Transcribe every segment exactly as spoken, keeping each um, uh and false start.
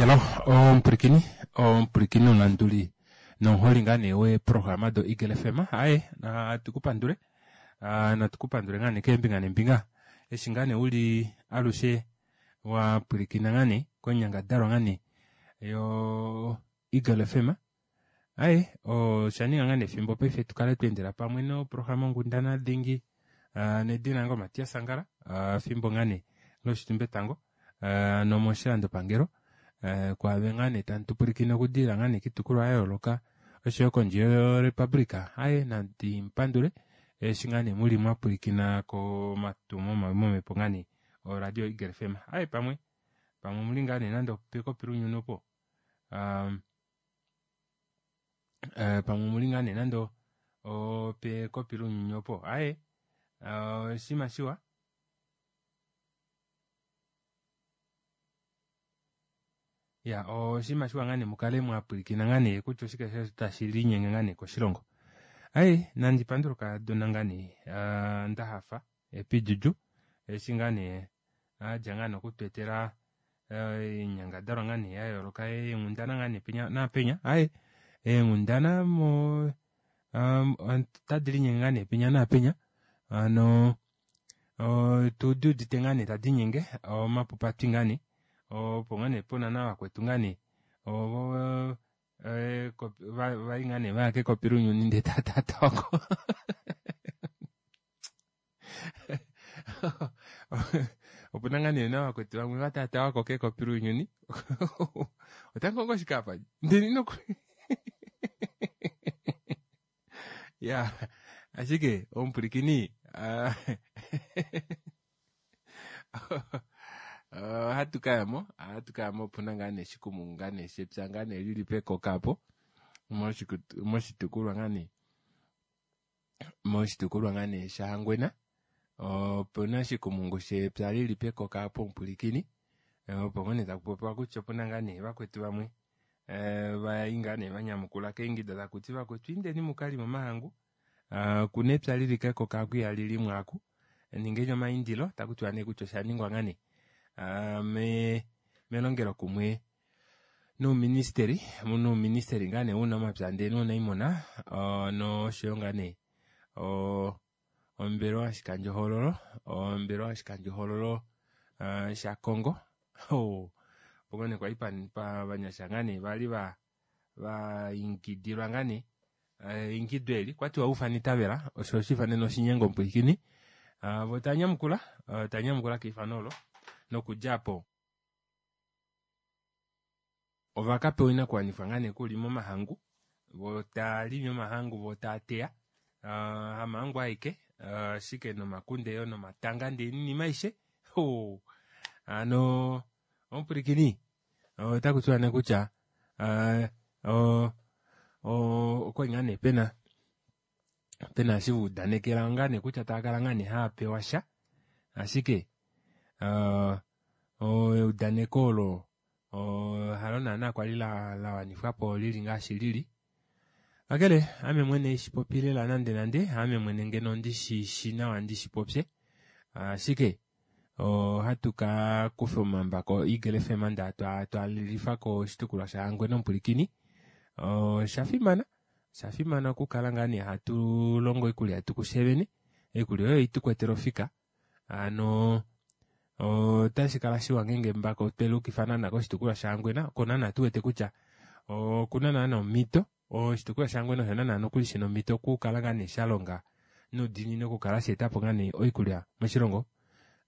Hello omupulikini omupulikini omulanduli nomuholi ngaa nee weeprograma do Eagle F M aaye natu kupandule natu kupandule ngaa nee keembinga neembinga eshi ngaa nee uli alushe wapwilikina ngaa nee koinyangadalwa ngaa nee yo Eagle F M aaye oshaninga ngaa nee efimbo paife tukale twaendela pamwe noprograma onghundana dingi nedina lange o Matias Angala efimbo ngaa nee loshitumbetango nomoshilandopangelo kwaave ngaa nee tamutupwilikine okudilila ngaa nee koitukulwa yayooloka oshoyo kondje yo republica aaye nandi mupandule eshi ngaa nee muli mwapwilikina komatumo mawi momepo ngaa nee o radio Eagle F M aaye pamwe pamwe omuli ngaa nee nande opekopi lounyuni opo aa pamwe omuli ngaa nee nande opekopi lounyuni opo aaye oshinima shiwa iya oshinima shiwa ngaa nee mukale mwapwilikina ngaa nee kutya oshike tashi linyenge ngaa nee koshilongo aaye nandi pandule okadona ngaa nee ndahafa Happy Juju eshi ngaa nee adja ngaa nee okutweetela oinyangadalwa ngaa nee yayooloka eenghundana ngaa nee penya naapenya aaye eenghundana mo ota delinyenge ngaa nee penya naapenya hano otuduudite ngaa nee tadiinyenge omapupatwi ngaa nee opo ngoo nee pena navakwetu ngaa nee ovo vali ngoo nee vaya kekopi lounyuni ndee taatatawako opena ngaa nee navakwetu vamwe vatatawako kekopi lounyuni otamukongo shike aapa ndini nokuli iyaa ashike omupwilikini ohatu kayamo ohatu kayamo opuna ngaa nee oshikumungu ngaa nee shepya ngaa nee lili pekoka aapo moshitukulwa ngaa nee moshitukulwa ngaa nee sha hangwena opena oshikumungu shepya lili pekoka aapo omupwilikini opo ngoo nee takupopiwa kutya opena ngaa nee vakwetu vamwe vali ngaa nee vanyamukula keingido takuti vakwetu indeni mukalime omahangu okuna epya lili kekoka aaku ihalilimwa aaku ningeni omaindilo otakutiwa nee kutya oshaningwa ngaa nee melongelo kumwe nouministeli nouministeli ngaa nee wounamapya ndee nuunaimuna noshoyo ngaa nee ombelewa yoshikandjohoololo ombelewa yoshikandjohoololo shakongo opo ngoo nee kwali ovanyasha ngaa nee vali vaingidilwa ngaa nee eingido eli okwatiwa ufana itavela osho oshiifanene oshinyengo omupwilikini voo tavanyamukula tavanyamukula keifano oolo nokudja aapo ovakapewa oinakuwanifwa ngaa nee yokulima omahangu voo taalimi omahangu voo taateya hamahangu aeke ashike nomakunde yoo nomatanga ndee noinima aishe hano omupwilikini otakutiwa nee kutya oo okwali ngaa nee pena pena eshi vaudanekela ngaa nee kutya taakala ngaa nee haapewasha ashike eudaneko oolo halo naana kwali lawanifwapo lili ngaashi lili kakele haame mwene haishipopi lela nande nande haame mwene ngeno ndishishi nawa ndishipopye ashike ohatu kakufa omambako o Eagle F M ndee twalilifa koshitukulwa sha hangwena omupwilikini oshafimana oshafimana okukala ngaa nee hatulongo oikulya yetu kufye vene oikulya oyo haitukwetele ofika hano otashikala shiwa ngenge embako tweluukifa naana koshitukulwa sha hangwena oko naana tuwete kutya okuna naana omito oshitukulwa sha hangwena osho naana nokuli shina omito okukala ngaa nee shalonga noudiinini okukala shaetapo ngaa nee oikulya moshilongo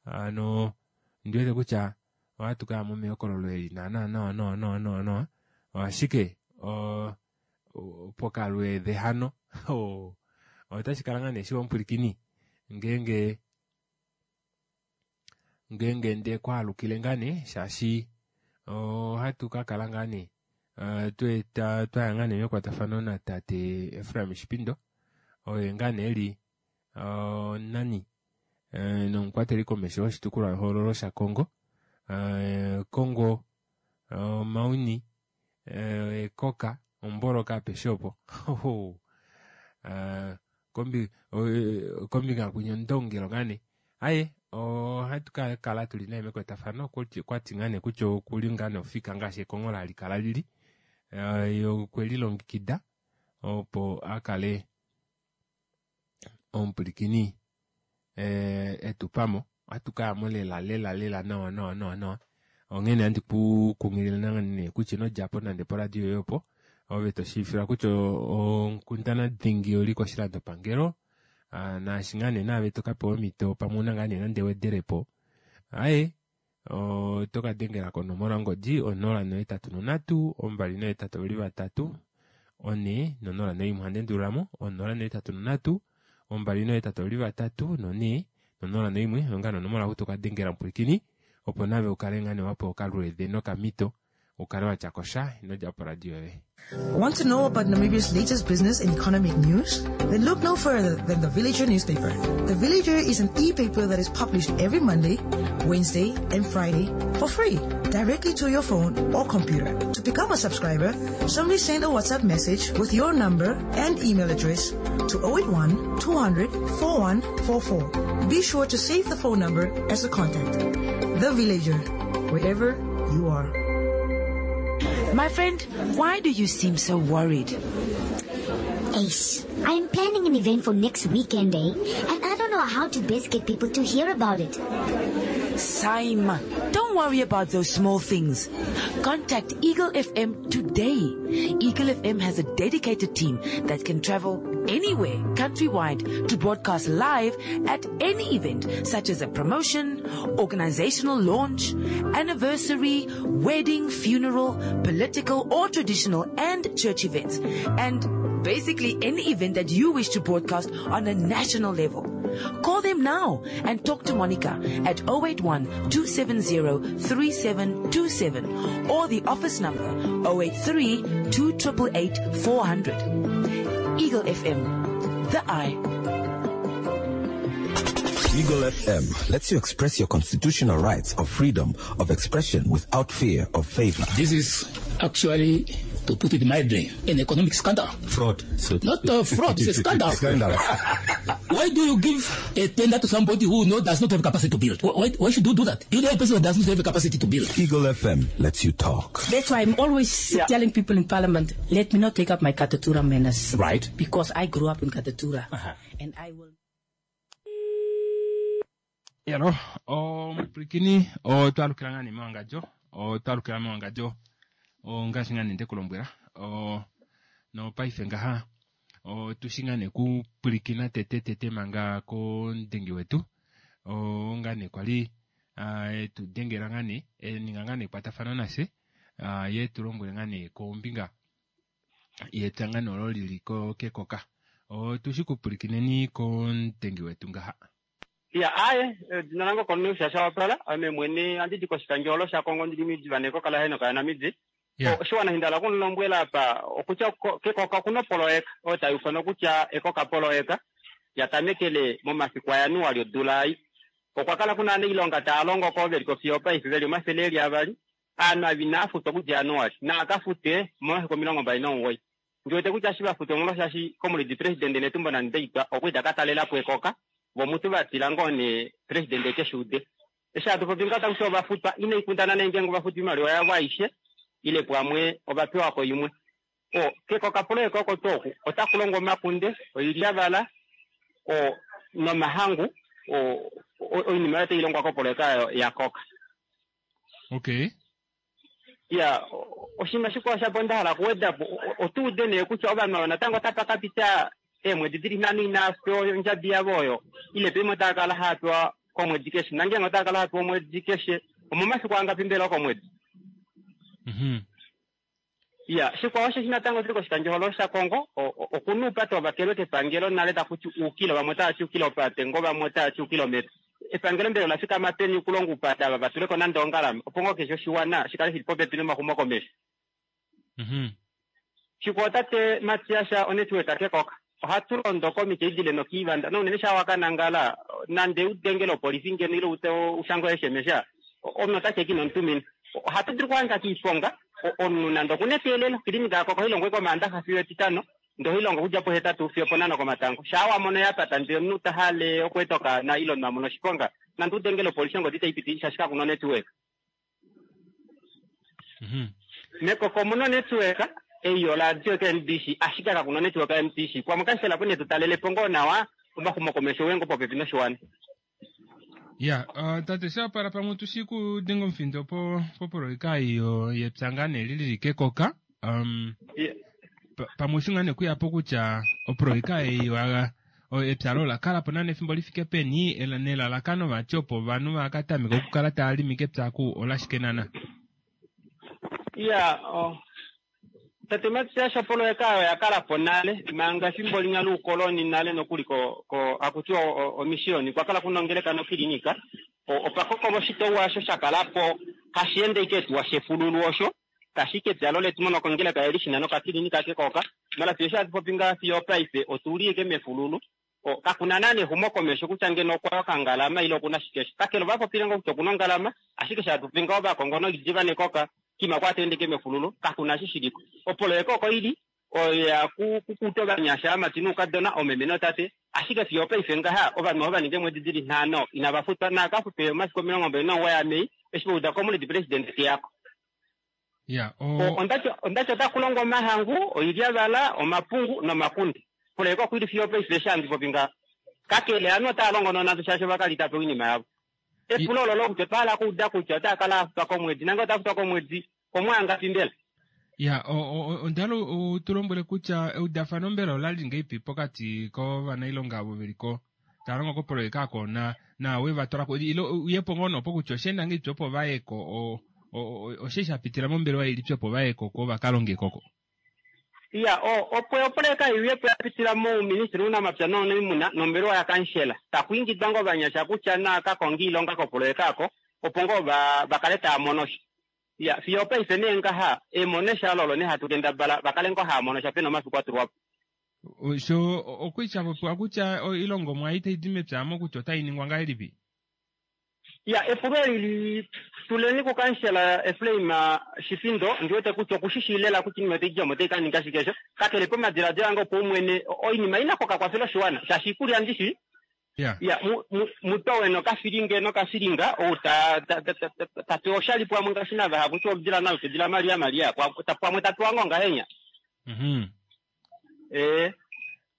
hano ondiwete kutya ohatu kayamo mehokololo eli naana nawa nawa nawa nawa ashike pokalweede hano otashikala ngaa nee shiwa omupwilikini ngenge ngenge ndekwaalukile ngaa nee shaashi ohatu kakala ngaa nee twaya ngaa nee mekwatafano natate Efraim Shipindo oye ngaa nee eli omunani nomukwateli komesho woshitukulwa hoololo sha Kongo Kongo Mauni Ekoka omboloka apeshe oopo kombinga kwinya ondongelo ngaa nee aaye Ohatu ka kala tuli naye mekwatafano kwati ngaa nee kutya okuli ngaa nee ofika ngaashi ekonghola hali kala lili. Ye okwe lilongekida opo akale omupwilikini etupamo. Ohatu kayamo lela lela lela nawa nawa nawa nawa. Onghene handi ku kunghilile nee kutya ino djapo nande poradio yoye opo ove toshiivifilwa kutya onkundana dingi oli koshilandopangelo naashi ngaa nee naave tokapewa omhito pamwe una ngaa nee nande ewedelepo aaye oto kadengela konomola yongodi onola nohetatu nonhatu ombali nohetatu oveli vatatu onhe nonola noimwe. Ohandi endululamo onola nohetatu nonhatu ombali nohetatu oveli vatatu nonhe nonola noimwe. Oyo ngaa nee onomola oku tokadengela mupwilikini opo nave ukale ngaa nee wapewa okalweede nokamhito ukale watya kosha ino dja poradio yoye. Want to know about Namibia's latest business and economic news? Then look no further than The Villager newspaper. The Villager is an e-paper that is published every Monday, Wednesday, and Friday for free, directly to your phone or computer. To become a subscriber, simply send a WhatsApp message with your number and email address to oh eight one, two hundred, four one four four. Be sure to save the phone number as a contact. The Villager, wherever you are. My friend, why do you seem so worried? Ace, I'm planning an event for next weekend, eh? And I don't know how to best get people to hear about it. Saima, don't worry about those small things. Contact Eagle F M today. Eagle F M has a dedicated team that can travel anywhere countrywide to broadcast live at any event, such as a promotion, organizational launch, anniversary, wedding, funeral, political or traditional and church events, and basically any event that you wish to broadcast on a national level. Call them now and talk to Monica at oh eight one, two seven zero, three seven two seven or the office number oh eight three, two triple eight, four hundred. Eagle F M, the eye. Eagle F M lets you express your constitutional rights of freedom of expression without fear of favor. This is actually, to put it mildly, an economic scandal. Fraud. So Not a fraud, it's a scandal. Scandal. Why do you give a tender to somebody who knows does not have capacity to build? Why, why should you do that? You know a person who does not have capacity to build. Eagle F M lets you talk. That's why I'm always Yeah. telling people in Parliament, let me not take up my Katutura manners. Right. Because I grew up in Katutura. Uh-huh. And I will... Yalo, omupwilikini, otwalukila ngaa nee mewangadjo, otwalukila mewangadjo, ongaashi ngaa nee ndekulombwela, o, nopaife ngaha, otushi ngaa nee kupwilikina tete tete manga kondengi wetu, o, ngaa nee kwali, a, etu dengela ngaa nee, e, ninga ngaa nee ekwatafano nafye, a, ye tulombwele ngaa nee kombinga yepya ngaa nee olo lili ko kekoka. Otushi kupwilikineni kondengi wetu ngaha. Ya, aye, jina langu Cornelius Shashawapala, ame mwene andidi koshikandjolo sha Kongo ndili midzi vaneko kala heno kaya namidzi. Yeah. O, shiwana hindala kunombwela apa, okutya ko-, kekoka kuno poloeka, oyo tayi ufanwa kutya ekoka poloeka, ya tamekele momasiku a Januali odula ei. Okwa kala kuna aaniilonga taya longo ko veli kofi yopaife veli omathele eli avali, aantu avi inaya futwa okudja Januali, naa ka fute momasiku omilongo mbali nomugoyi. Ndi wete kutya shi va fute omolwa shaashi komulidi presidente Netumbo Nandi-Ndaitwah okwa ita ka talela po ekoka, vo mutu va tila ngoo nee presidente keshe ude. Eshi hatu popi ngaho taku ti ova futwa, inai kundana nee ngeenge ova futwa oimaliwa yavo aishe, ile pamwe ova pewa ko imwe. O, kekoka poloeka oko tuu oku, otaku longwa omakunde, oilyavala, o, nomahangu, o, o, oinima oyo tai longwa kopoloeka oyo ya koka. Okay. Ya, o, oshinima shikwao shapo nda hala okuweda po, o, o, otu ude nee kutya ovanhu ava natango otapa ka pita eemwedi dili nhano inava pewa ondjabi yavo oyo, ile pamwe otava kala hava pewa komwedi keshe. Nangenge otava kala hava pewa omwedi keshe, omomafiku angapi mbela komwedi? Mhm. Ya, shikwao osheshi natango tuli koshikandjohogololo shaKongo, o-, o-, okuna oupate wavakelwe kepangelo nale taku ti uukilo, vamwe otava ti uukilopate, ngo vamwe otava ti uukilometa. Epangelo mbela ola fikama peni okulonga oupate ava va tuleko nande ongalama, opo ngoo keshe oshiwana shi kale shili popepi nomaxumokomesho. Mhm. Shikwao tate Matias onetwork kekoka. Ohatu londo komiti idile nokiivanda, nounene sha wakanangala, nande udengele opolifi ngeno ile ute ushango S M S, omunhu ota cheki nomutumina. Ohatu dulu okuhanga kiiponga, o-, omunhu nande okuna eteelelo, kilinika yako ohayi longwa komaandaxa fiyo etitano, ndele ohayi longo okudja pohetatu fiyo ponhano komatango. Shaa wa mono ya pata, ndele omunhu ta hale okweeta okaana ile omunhu a mona oshiponga, Nande udengele opolisi ongodi itayi piti shaashi kakuna onetwork. Mhm. Mekoko omuna onetwork ei yoradio K N B C ashike kakuna onetwork ya M T C. Pamwe kansela po netu talelepo ngoo nawa omaxumokomesho uye ngoo popepi noshiwana. Ya, uh, tate Shapala pamwe tushi kudenga omufindo po, popoloyeka iyo yepya ngaa nee lili kekoka. Um, Yeah. pa-, pamwe osho ngaa nee kuya po kutya opoloyeka ei wa-, o-, epya lo ola kala po nane efimbo li fike peni, ela-, nelalakano vati opo ovanhu va ka tameka okukala tava limi kepya ku olashike nana? Ya, oh. Tate Matias, opoloyeka oyo oya kala po nale, manga efimbo linya loukoloni nale nokuli ko, ko, haku tiwa o-, o-, omisioni, kwa kala kuna ongeleka nokilinika. O-, opa koko moshitopolwa osho sha kala po, kashi ende ike tuwa shefululu osho, kashi ke epya letu mono kongeleka eli shina nokakilinika kekoka. Mala fiyo sha popi nga fiyo paife, otuli ike mefululu. O, kakuna nane exumokomesho kutya ngeno okwa yokangalama ile okuna shike sho. Kakele ova popile ngoo kutya okuna ongalama, ashike sha popi ngoo ovakongo noidiva nekoka, kima kwa tende ke mefululu, kakuna shi shiliko. Opoloyeka oko ili, oya ku-, kukuta ovanyasha, aamati noukadona, oomeme nootate, ashike fiyo paife ngaha, ovanhu ova ninga eemwedi dili nhano, inava futwa, naakafutwe omasiku omilongo mbali nomugoyi aMei, eshi vauda komuledi president teyako. Ya, o- O, ondati, ondati ota kulongwa omahangu, oilyavala, omapungu nomakunde. Opoloyeka oko ili fiyo paife eshi handi popi ngaha. Kakele ovanhu otava longo nonande shaashi ova kalita po oinima yavo. Epulo olo kutya otwa hala okuuda kutya otava kala a futwa komwedi, nange ota futwa komwedi, omwaanga mbela? Ya, o, o, o, onda hala u tu lombwele kutya eudafano mbela ola li ngeipi pokati kovanailonga avo veli ko tava longo kopoloyeka ako na, na we va twala ko, ile uye po ngoo nopo kutya oshe enda ngeipi opo va ye ko, o, o, o, oshe sha pitila mombelewa ilipi opo va ye ko, ko va ka longe koko? Ya, o, opo opoloyeka iuye po ya pitila mouministry wounamapya nouniimuna nombelewa ya kansela. Takuingidwa ngoo ovanyasha kutya na ka konge iilonga kopoloyeka ako, opo ngoo va, va kale tava mono sha. Ya, fiyo paife nee ngaha, emono sha lolo nee hatu kendabala, va kale ngoo hava mono sha pena omafiku a tulwa po. O, sho, o, okwiitya popiwa kutya oilongomwa itai di mepya mo kutya otai ningwa ngahelipi? Ya, epulo eli li tuleni kukansela Efraim Shifindo, ndiwete kutya okushishi lela kutya iinima otai dja mo otai ka ninga shike sho. Kakele pomadiladilo ange opaumwene, o-, oinima ina koka kwafela oshiwana, shaashi iikulya ndishi. Ya. Ya, mu-, mu-, mutowe nokafilinge nokafilinga, ou ta-, ta-, ta-, ta-, ta-, ta pewa oshali pamwe ngaashi navahapu, kutya oludila nalo tedila Maria Maria, kwa-, ta-, pamwe ta pewa ngoo ngahenya. Mhm. Eh.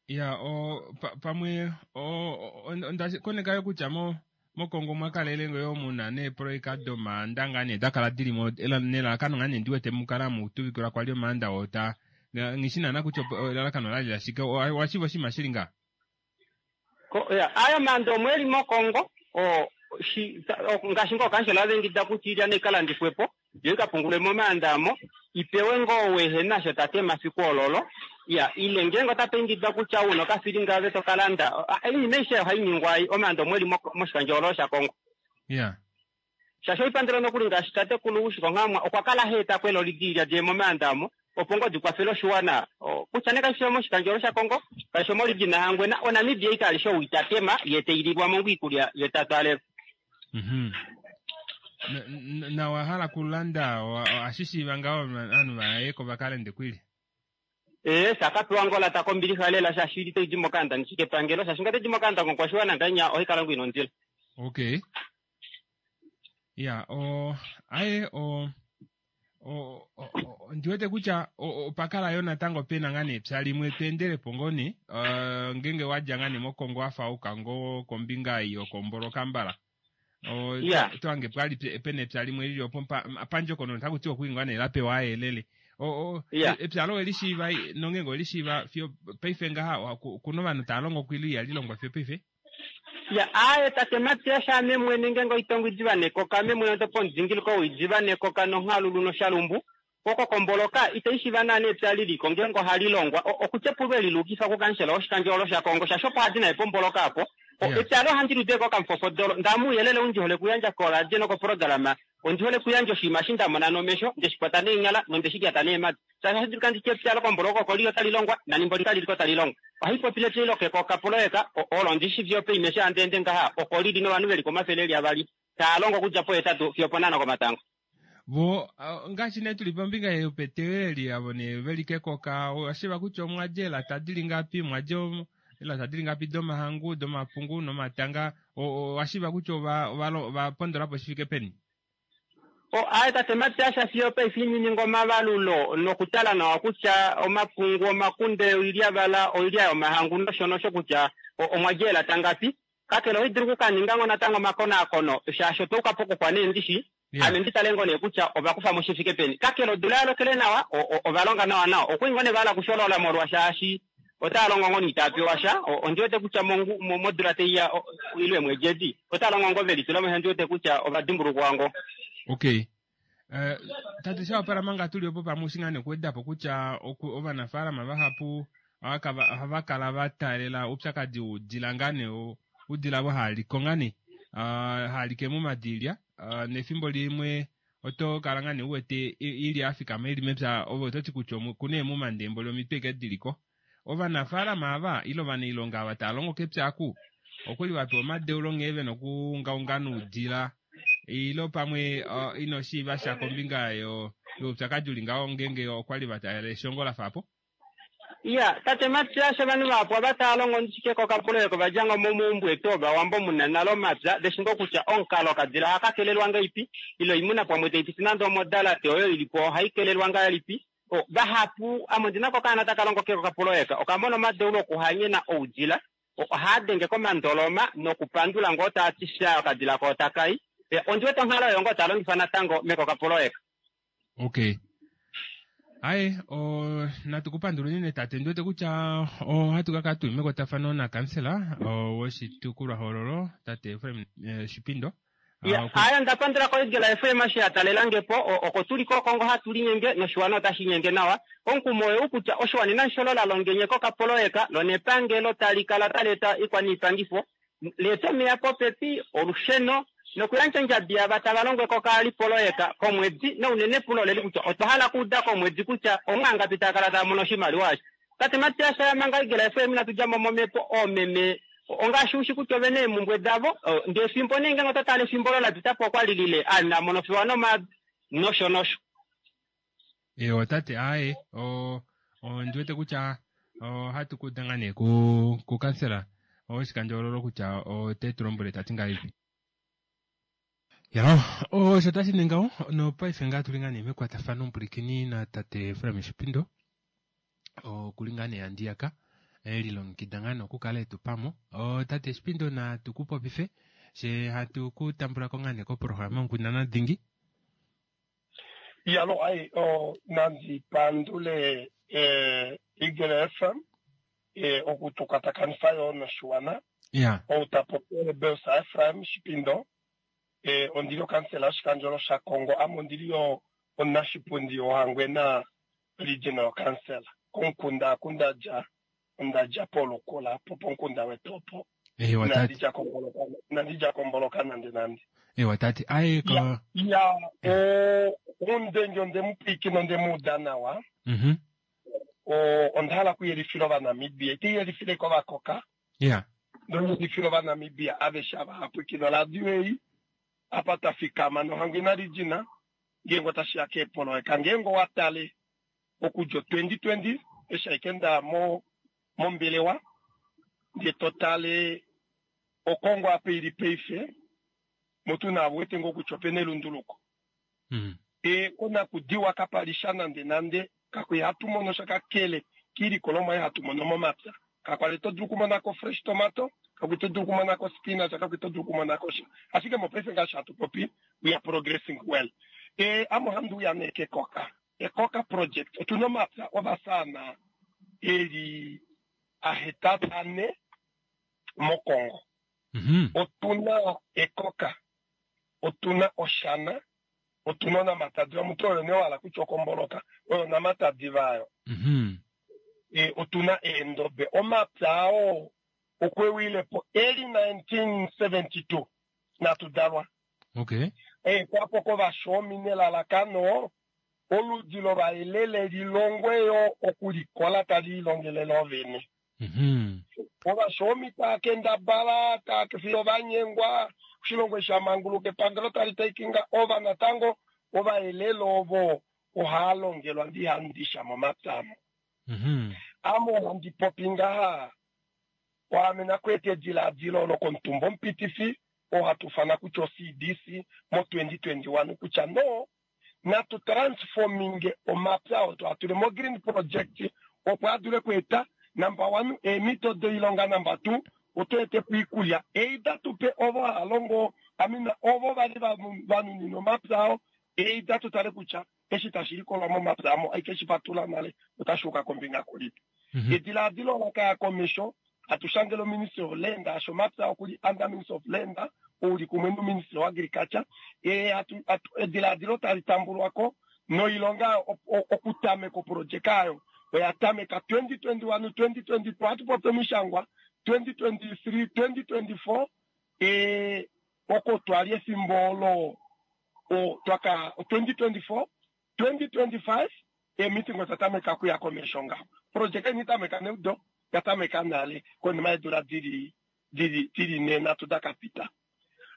Ya, o, pa-, pamwe, o, o, o, onda koneka yo kutya mo-, moKongo mwa kalele ngo yo muna neepoloyeka domaanda ngaa nee da kala dili mo, ela-, nelalakano ngaa nee ndiwete mukala mutuvikilwa kwali omaanda oo ta-, nga-, nghishi naana kutya opo-, elalakano lali la shike, o-, owa shiiva oshinima shili ngaa? Ko-, ya, ayo maanda omwe eli moKongo, o, shi-, ta-, o, ngaashi ngoo kansela avengida kutya ilya nei kalandifwepo, yo ikapungulwe momaanda amo, ipewe ngoo wehena sho tate mafiku ololo. Ya, ile ngeenge ota pengidwa kutya una okafilinga ave to kalanda, o, a, oinima aishe ohai ningwa ai, omaanda omwe eli mo-, moshikandjohoololo shaKongo. Ya. Shaashi oipandelo nokuli ngaashi tatekulu Ushiko Nghaamwa, okwa kala ha eta ko eloli diilya diye momaanda amo, opo ngoo di kwafele oshiwana, o, kutya nee kashi fi moshikandjohoololo shaKongo, kashi fi moRegion Hangwena, oNamibia ika alishe ou itatema, ye te ililwa mo iikulya ye ta twalelwa. Mhm. Na, na, na wa hala kulanda, wa, wa, ashishiiva ngaho ovanhu va ye ko va kalende kwili? Eh, sakapewa ngola ta kombilixa lela shaashi ili tai di mokanda nishike epangelo, shaashi nga tai di mokanda komukwashiwana ngainya ohai kala ngoo ina ondilo. Okay. Ya, o, aye, o, o, o, o, ndiwete kutya, o, o, opakala yo natango pena ngaa nee epya limwe tweendele po ngoo nee, eh, ngeenge wadja ngaa nee moKongo wafa uka ngoo kombinga iyo komboloka mbala. O, Ya. to-, twange pwali pe-, pena epya limwe lili opo mpa-, m-, pandjokono taku tiwa okuingwa nee la pewa ayelele. O, o, Ya. e-, epya lo elishiiva, nongeenge olishiiva fiyo paife ngaha, wa-, ku-, kuna ovanhu tava longo kwili ihali longwa fiyo paife? Ya, aye, tate Matias, ame mwene ngeenge oitongo idiva nekoka, ame mwene oto pomudingiliko oidiva nekoka nonghalulu noshalumbu. Oko komboloka, itai shiiva naana epya liliko, ngeenge ohali longwa. O-, okutya epulwe lilukifa kukansela woshikandjohoololo shaKongo, shaashi opo hadi naye pomboloka apo. O, Yeah. epya lo handi lude ko kamfofodolo. Ndamu uyelele undi hole kuyandja koradio nokoprograma. Ondi hole kuyandja oshinima eshi nda mona nomesho, ndeshi kwata neenyala, nondeshi lyata neemadi. Shaashi handi luka nditye epya lokomboloka oko liyo tali longwa, nanimbo likali liko tali longwa. Ohai popile epya lokekoka poloyeka, o-, olo ndishi vyo pe imesha ande ende ngaha, oko lili novanhu veli komafele eli avali. Taa longo okudja pohetatu fiyo ponhano komatango. Vo, a, ngaashi nee tuli pombinga yopeteweli avo nee veli kekoka, o, oshiva kutya omwa dja eelata dili ngapi, omwa dja om-, eelata dili ngapi domahangu, domapungu nomatanga, Owashiiva kutya ova ova pondolapo shi fike peni? O aye tate Matias fiyo paife inininga omavalulo nokutala nawa kutya omapungu, omakunde, oilyavala, oilya yomahangu nosho nosho kutya omwa djeela tangapi. Kakele ohi dulu okukaninga ngo natango omakonaakono shaashi otwa uka pokukwa nee ndishi, ame ndi tale ngo nee kutya ova kufa mo shi fike peni. Kakele odula ya lokele nawa, ova longa nawa nawa. Okwali ngo nee va hala okusholola molwa shaashi otava longo ngo itava pewa sha. Ondi wete kutya modula taiya ile eemwedi edi otava longo ngo ve litula mo, ondi wete kutya ova dimbulukwa ngo. Okay. Uh, tate Shawapala manga tuli opo pamwe ushi ngaa nekuweda po kutya ovanafaalama vahapu ohava kala va taalela oupyakadi woudila ngaa nee, oudila vo haaliko ngaa nee, haalike momadilya, nefimbo limwe oto kala ngaa nee uwete ili afikama ili mepya, ove ototi kutya okuna eemuma lomitwe eke diliko. Ovanafaalama ava ile ovanailonga ava tava longo kepya aku okwali vapewa omadeulo nghee vena okuungaunga noudila, ile pamwe ino shiiva sha kombinga youpyakadi uli ngaho ngeenge okwali va taalela eshongo la fa po? Iya, tate Matias ovanhu vahapu ava tava longo ndishike kokapoloyeka ova dja ngo momaumbo etu ovawambo muna nale omapya, veshi ngo kutya omukalo okadila ohaka kelelwa ngahelipi, ile oimuna pamwe taipiti nande omodalate oyo ilipo ohai kelelwa ngahelipi. Vahapu ame ondina ko okaana taka longo kokapoloyeka okamona omadeulo okuhanyena oudila, ohaa denge komandoloma nokupandula ngoo taa ti sha okadila ko otakai. Ondi wete onghalo oyo ngoo taa longifa natango mekokapoloyeka. Okay. Aye, o natu kupandula unene tate, ndi wete kutya ohatu ka kala tuli mekwatafano nakansela woshitukulwahoololo tate Efraim Shipindo. Aye, onda pandula koigela Efraim eshi ya talela po, oko tuli koKongo hatu linyenge noshiwana otashi nyenge nawa. Omukumo oyou kutya oshiwana inashi sholola longenye kokapoloyeka, lo nepangelo tali kala tali eta ikwaniipangifo, leeta omeya popepi, olusheno, nokuyandja ondjabi yava tava longo ekoka lipoloyeka komwedi, nounene pulo oleli kutya otwa hala okuuda komwedi kutya omwaangapi tava kala tava mono oshimaliwa eshi. Tate Matias manga Igela Efraim inatu dja mo momhepo, oomeme ongaashi ushi kutya ovena eemumbwe davo, ndee efimbo nee ngeenge oto tale efimbo olo la pita po okwa lilile a mono fiwa nomaadi nosho nosho. Ewa tate, aye ondi wete kutya ohatu kuuda ngaa nee kukansela woshikandjohoololo kutya ote tu lombwele tati ngahelipi. Ya, osho tashi ningaho nopaife ngaa tuli ngaa nee mekwatafano mpulikini na tate Efraim Shipindo, okuli ngaa nee handiyaka elilongekida ngaa nokukala etu pamo. Tate Shipindo natu ku popife she hatu ku tambula ko ngaa nee koprograma Onkundana Dhingi. Yalo ai o nandi pandule Eagle F M okutukwatakanifa yo noshiwana. Ya. Ou tapopi Belsa Efraim Shipindo, ondili okansela yoshikandjolo shaKongo, ame ondili yo omunashipundi woHangwena Regional Council. Komukunda aku ndadja, ondadja polukula po pomukunda wetu opo. Ewa tate. Inandi dja komboloka nande nande. Ewa tate, aye ko. Ya, omundenge onde mu pwiikina onde mu uda nawa. Mhm. Onda hala okuyelifila Ovanamibia, ite yelifile kovakoka. Ya. Noyelifila Ovanamibia aveshe ava hapwikina oradio ei, apa twa fikama noHangwena Regional, ngeenge otashi ya keepoloyeka, ngeenge owa tale okudja twenty twenty eshi ashike nda mo mombelewa, ndee to tale Okongo apa ili paife, mutu na wete ngoo kutya opena elunduluko. E konakudiwa kapali sha nande nande, kakwe hatu mono sha kakele kiilikolomwa ei hatu mono momapya. Kakwali to dulu okumonako fresh tomato, kakwe to dulu okumonako spinach, kakwe to dulu okumonako sha. Ashike mopaife ngaashi hatu popi, we are progressing well. E ame ohandi uya nee kekoka. Ekoka project, otuna omapya ovasaana eli ahetatu ane mOkongo. Otuna Ekoka, otuna Oshana, otuna Onamatadi. Omuntu oyo nee wala kutya okomboloka oyo Onamatadi vayo. E, otuna Eendobe. Omapya ao okwe wilepo eli nineteen seventy two natu dalwa. Okay. E, kwapo kovashomi nelalakano oludi lovaelele lilongwe yo okulikola tali lilongelele ovene. Ovashomi taa kendabala taa fiyo vanyengwa oshilongo sha manguluka epangelo tali taking over natango ovaelele ovo ohaa longelwa ndihandisha momapya amo. Ame ohandi popi ngaha Waamena kweeta edilaadilo lokomutumba omupitifi oo hatu ufana kutya o-C D C mo twenty twenty-one kutya no natu transforminge omapya oo twatule mo green project opo a dule kweeta number one eemito doilonga, number two oto ete po iikulya either tupe ovo hava longo, I mean, ovo vali vanuninwa omapya ao, either tutale kutya eshi tashi likolwa momapya amo aike shi fatula nale otashi uka kombinga kulipi. Edilaadilo ola kaya komesho atushangele Ministry of Land, asho mapya okuli under Ministry of Land, ouli kumwe no Ministry of Agriculture, e atu, atu, edilaadilo tali tambulwako noilonga okutameka oprojeka ayo oya tameka twenty twenty-one, twenty twenty-two, atu popi omishangwa twenty twenty-three, twenty twenty-four, e oko twali efimbo olo, o, twaka twenty twenty-four, twenty twenty-five, e meeting otatameka kuya komesho ngaho. Projeka ini tameka neudo, yatameka nale konima yeedula dili, dili, dili ne nhatu da ka pita.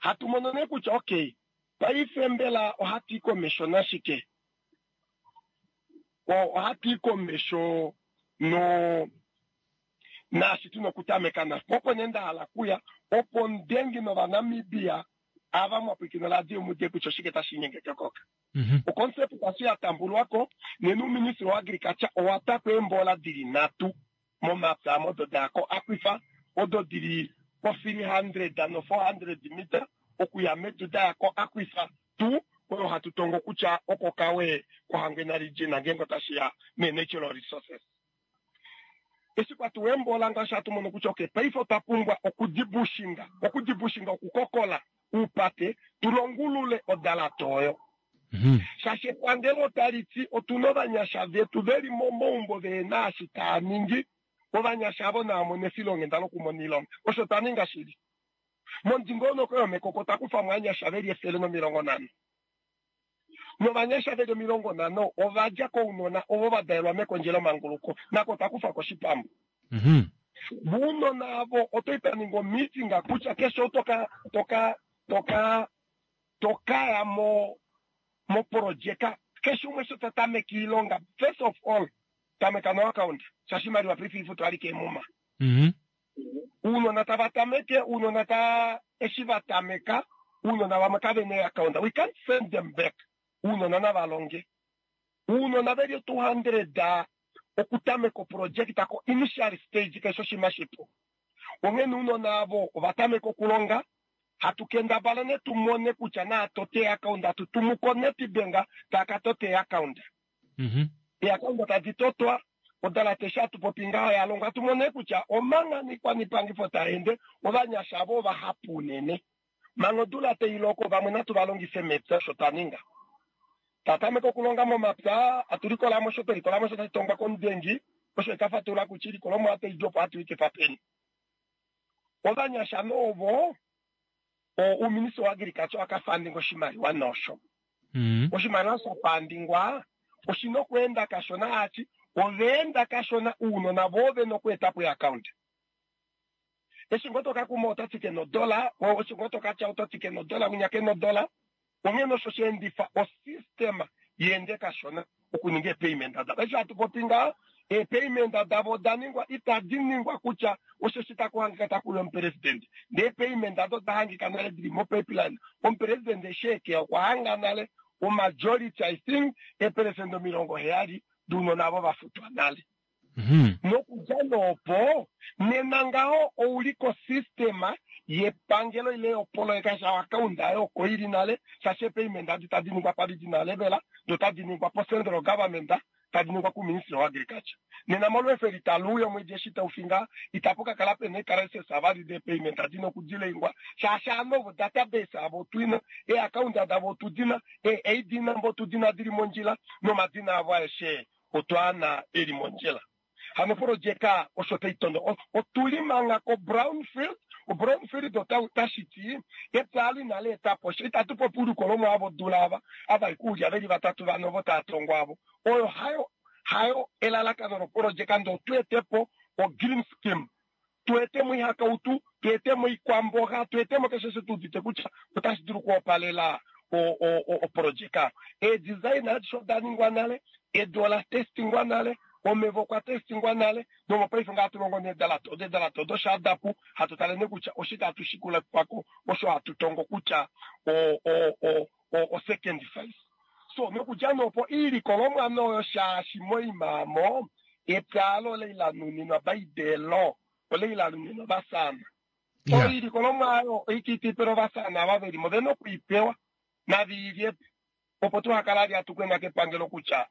Hatu mono nee kutya okay, paife mbela ohatu i komesho nashike? O, ohatu i komesho no naashi tuna okutameka nasho. Opo nee nda hala kuya, opo ndengi nOvanamibia ava mwapwikina radio mude kutya oshike tashi nyenge kekoka. O concept tashi ya tambulwako, nena uuministry wa agriculture owa takwa eembola dili nhatu momapya amo odo dayako aquifer, odo dili po three hundred no four hundred meter okuya medu dayako aquifer two, oyo hatu tongo kutya oko kawe koHangwena region ngeenge otashi ya me natural resources. Eshi kwatuwa eembola ngaashi hatu mono kutya okay, paife otwa pumbwa okudibushinga, okudibushinga, okukokola uupate, tulongulule odalata oyo. Shaashi epangelo otali ti otuna ovanyasha vetu veli momaumbo vehena eshi taa ningi, ovanyasha avo nava mone efilonghenda lokumona oilonga. Osho twa ninga shili. Momudingonoko yomekoko otwa kufa mo ovanyasha veli efele nomilongo nhano. Novanyasha veli omilongo nhano ova dja kounona ovo va dalelwa mekondjelo manguluko, nako otwa kufa koshipambu. Vounona avo otwa li twa ninga omeeting kutya keshe ou toka, toka, toka, tokaya mo, moprojeka, keshe umwe sho ta tameke iilonga, first of all tameka no account, shaashi imaliwa paife ifutwa alike emuma. Uunona tava tameke, uunona ta eshi va tameka, uunona vamwe kave na account, we can't send them back. Uunona nava longe. Uunona veli two hundred okutameka oproject ko initial stage keshe oshinima shipu. Onghene uunona avo ova tameka okulonga, hatu kendabala ne tu mone kutya na tote account, hatu tumu ko Nedbank taka tote account. E account tadi totwa, odala tesha hatu popi ngaho ya longwa, hatu mone kutya omanga nikwaniipangifo ta ende, ovanyasha avo vahapu unene. Manga odula tai loko, vamwe natu va longife mepya osho twa ninga. Tatameka okulonga momapya, hatu likola mo sho twa likola mo sho tashi tongwa komudengi, osho eka fatula kutya ilikolomwa otai di opo hatu i kefa peni. Ovanyasha novo, o uuministry wa agriculture waka funding oshimaliwa nosho. Oshimaliwa sha fundingwa, oshina okweenda kashona ati, oveenda kashona uunona vo vena okweeta po account. Eshi ngoo toka kuma ota tike nodola, o eshi ngoo toka tya ota tike nodola, winya ke nodola. Onghene osho sha endifa osystema yeende kashona okuninga eepayment davo. Eshi hatu popi ngaho, eepayment davo oda ningwa, itadi ningwa kutya osho shi taku hangika taku uya omupresidente. Ndee eepayment dado oda hangika nale dili mopipeline. Omupresidente eshi ekeya okwa hanga nale omajority, I think, eeperesenda omilongo heyali dounona avo va futwa nale. Nokudja noopo, nena ngaho ouli kosystema yepangelo ile yopoloyeka sha account ayo oko ili nale, shaashi eepayment adi tadi ningwa pa regional level, do tadi ningwa po central government, tadi ningwa ku Ministry of Agriculture. Nena molwefe litaluuya omwedi eshi tau finga, itapu ka kala pena ecrisis avali de payment adi nokudilengwa, shaashi ano ovo database avo otwina, e-account davo otudina, e-I D number otudina dili mondjila, nomadina avo aeshe otwaana eli mondjila. Hano projeka osho tai tondo. O-, otuli manga ko brownfield, o brownfield ota-, otashi ti, epya ali nale etapo, osho itatu popi ulikolomwa avo dula ava, ava ikulya veli vatatu vano vo tava tongo avo. Oyo hayo, hayo elalakano loprojeka ndo tuetepo o green scheme. Tuetemo ihakautu, tuetemo ikwamboga, tuetemo keshe se tudite kutya otashi dulu kuopalela o, o, o, o projeka. E design adisho da ningwa nale, edu ola testingwa nale, Omeva okwa testingwa nale nomopaife nga hatu longo needalate odo eedalate odo shaadapu hatu tale ne kutya oshike hatu shikula kwako osho hatu tongo kutya o o o o o second phase. So nokudja nopo iilikolomwa noyo shaashi moimaamo epya alo leilanuninwa baidelo oleilanuninwa vasana. Yeah. Oilikolomwa ayo oititipelo vasana ava velimo vena okuipewa naviilyepo opo tuhakala ali atukwena kepangelo kutya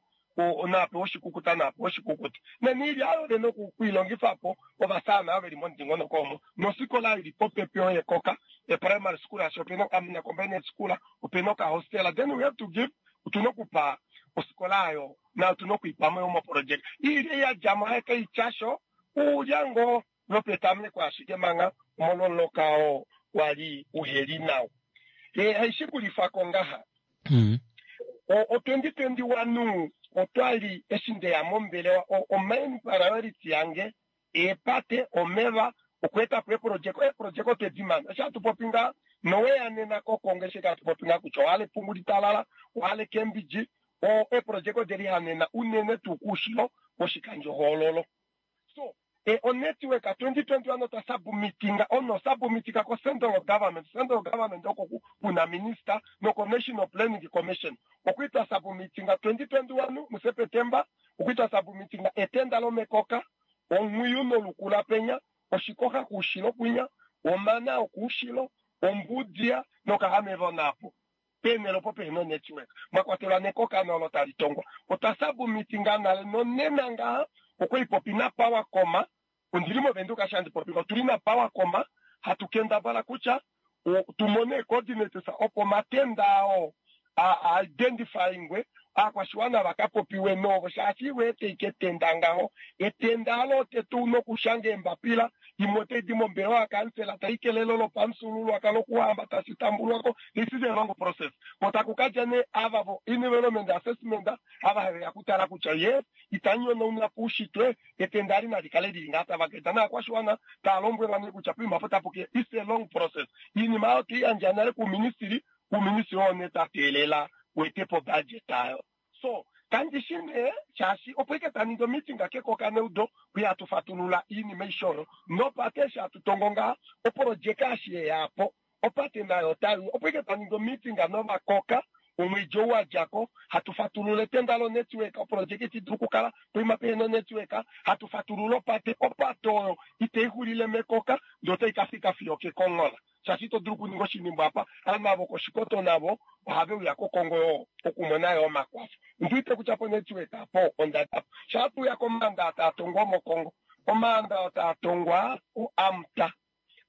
napewa oshikukuta napewa oshikukuta neniilya ayo vena okuilongifapo ovasana ava veli momudingonoko omo nosikola ili popepi oyo ekoka e-primary school asho opena amuna combined school opena okahostela. Then we have to give otuna okupa osikola ayo na otuna okuipamo yo moproject iilya yadjamo haekeityasho uulya ngoo lopetameko ashike manga omolwomuloka oo wali uheli nawa. E haishikulifako ngaha Mm. o twenty twenty-one otwali eshi ndeya mombelewa o main priority yange epate omeva okweeta po eproject eproject otwedimana eshi hatu popi nga noweya nena kokongo eshi hatu popi nga kutya ohala epungu litalala ohala Cambridge o eproject odelihanena unene tuu kuushilo woshikandjohoololo. So e o network twenty twenty-one otwa submitinga ono submitinga ko central government central government oko kuna minister noko National Planning Commission okuitwa submitinga twenty twenty-one mu September okuitwa submitinga etenda lomekoka omwiyu nolukula penya oshikoka kuushilo kwinya omana okuushilo ombudia nokahameva napo penelo po peno network mwakwatelwa nekoka nolo tali tongwa otwa submitinga nale nonena ngaha okwe ipopi na power coma ondili movenduka shandi popi otuli na power coma hatu kendabala kutya tumone coordinates opo matenda ao a identifyingwe aakwashiwana vakapopiwe novo shaashi wete iketenda ngaho etenda alo tetu nokushanga embapila imwe otai di mombelewa yakansela taikelelo lopamufyuululwakalo lokuhamba tashi tambulwako. This is a long process kotaku kadja ne ava vo environment assessment ava haveya kutala kutya yes itanyonauna poushitwe etenda ali nali kale lili ngaa tava keta naakwashiwana taa lombwelwa ne kutya poima po tapuke. It's a long process iinima ayo toiyandja nale kuuministili kuuministili oo ne tateelela wetepo budget ayo. So kandishi nee shaashi opo ike taningi omeeting kekoka neudo kuya hatufatulula iinima ishoro nopate eshi hatu tongo ngaha oprojeka ashi yeyapo opate nayo otayi opo ike taningi omeeting novakoka omwedji ou wadjako hatufatulula etenda lonetwork oprojeka itidulu okukala poima pehena onetwork hatufatulula opate opate oyo iteixulile mekoka ndee otai kafika fiyo kekonghola shaashi ito dulu okuninga oshinimbo apa anavo koshikoto navo ohave uya kokongo yo okumona yo omakwafo ndiwite kutya po network apo ondadapo shaatuya komaanda taa tongwa mokongo omaanda taa tongwa oAMTA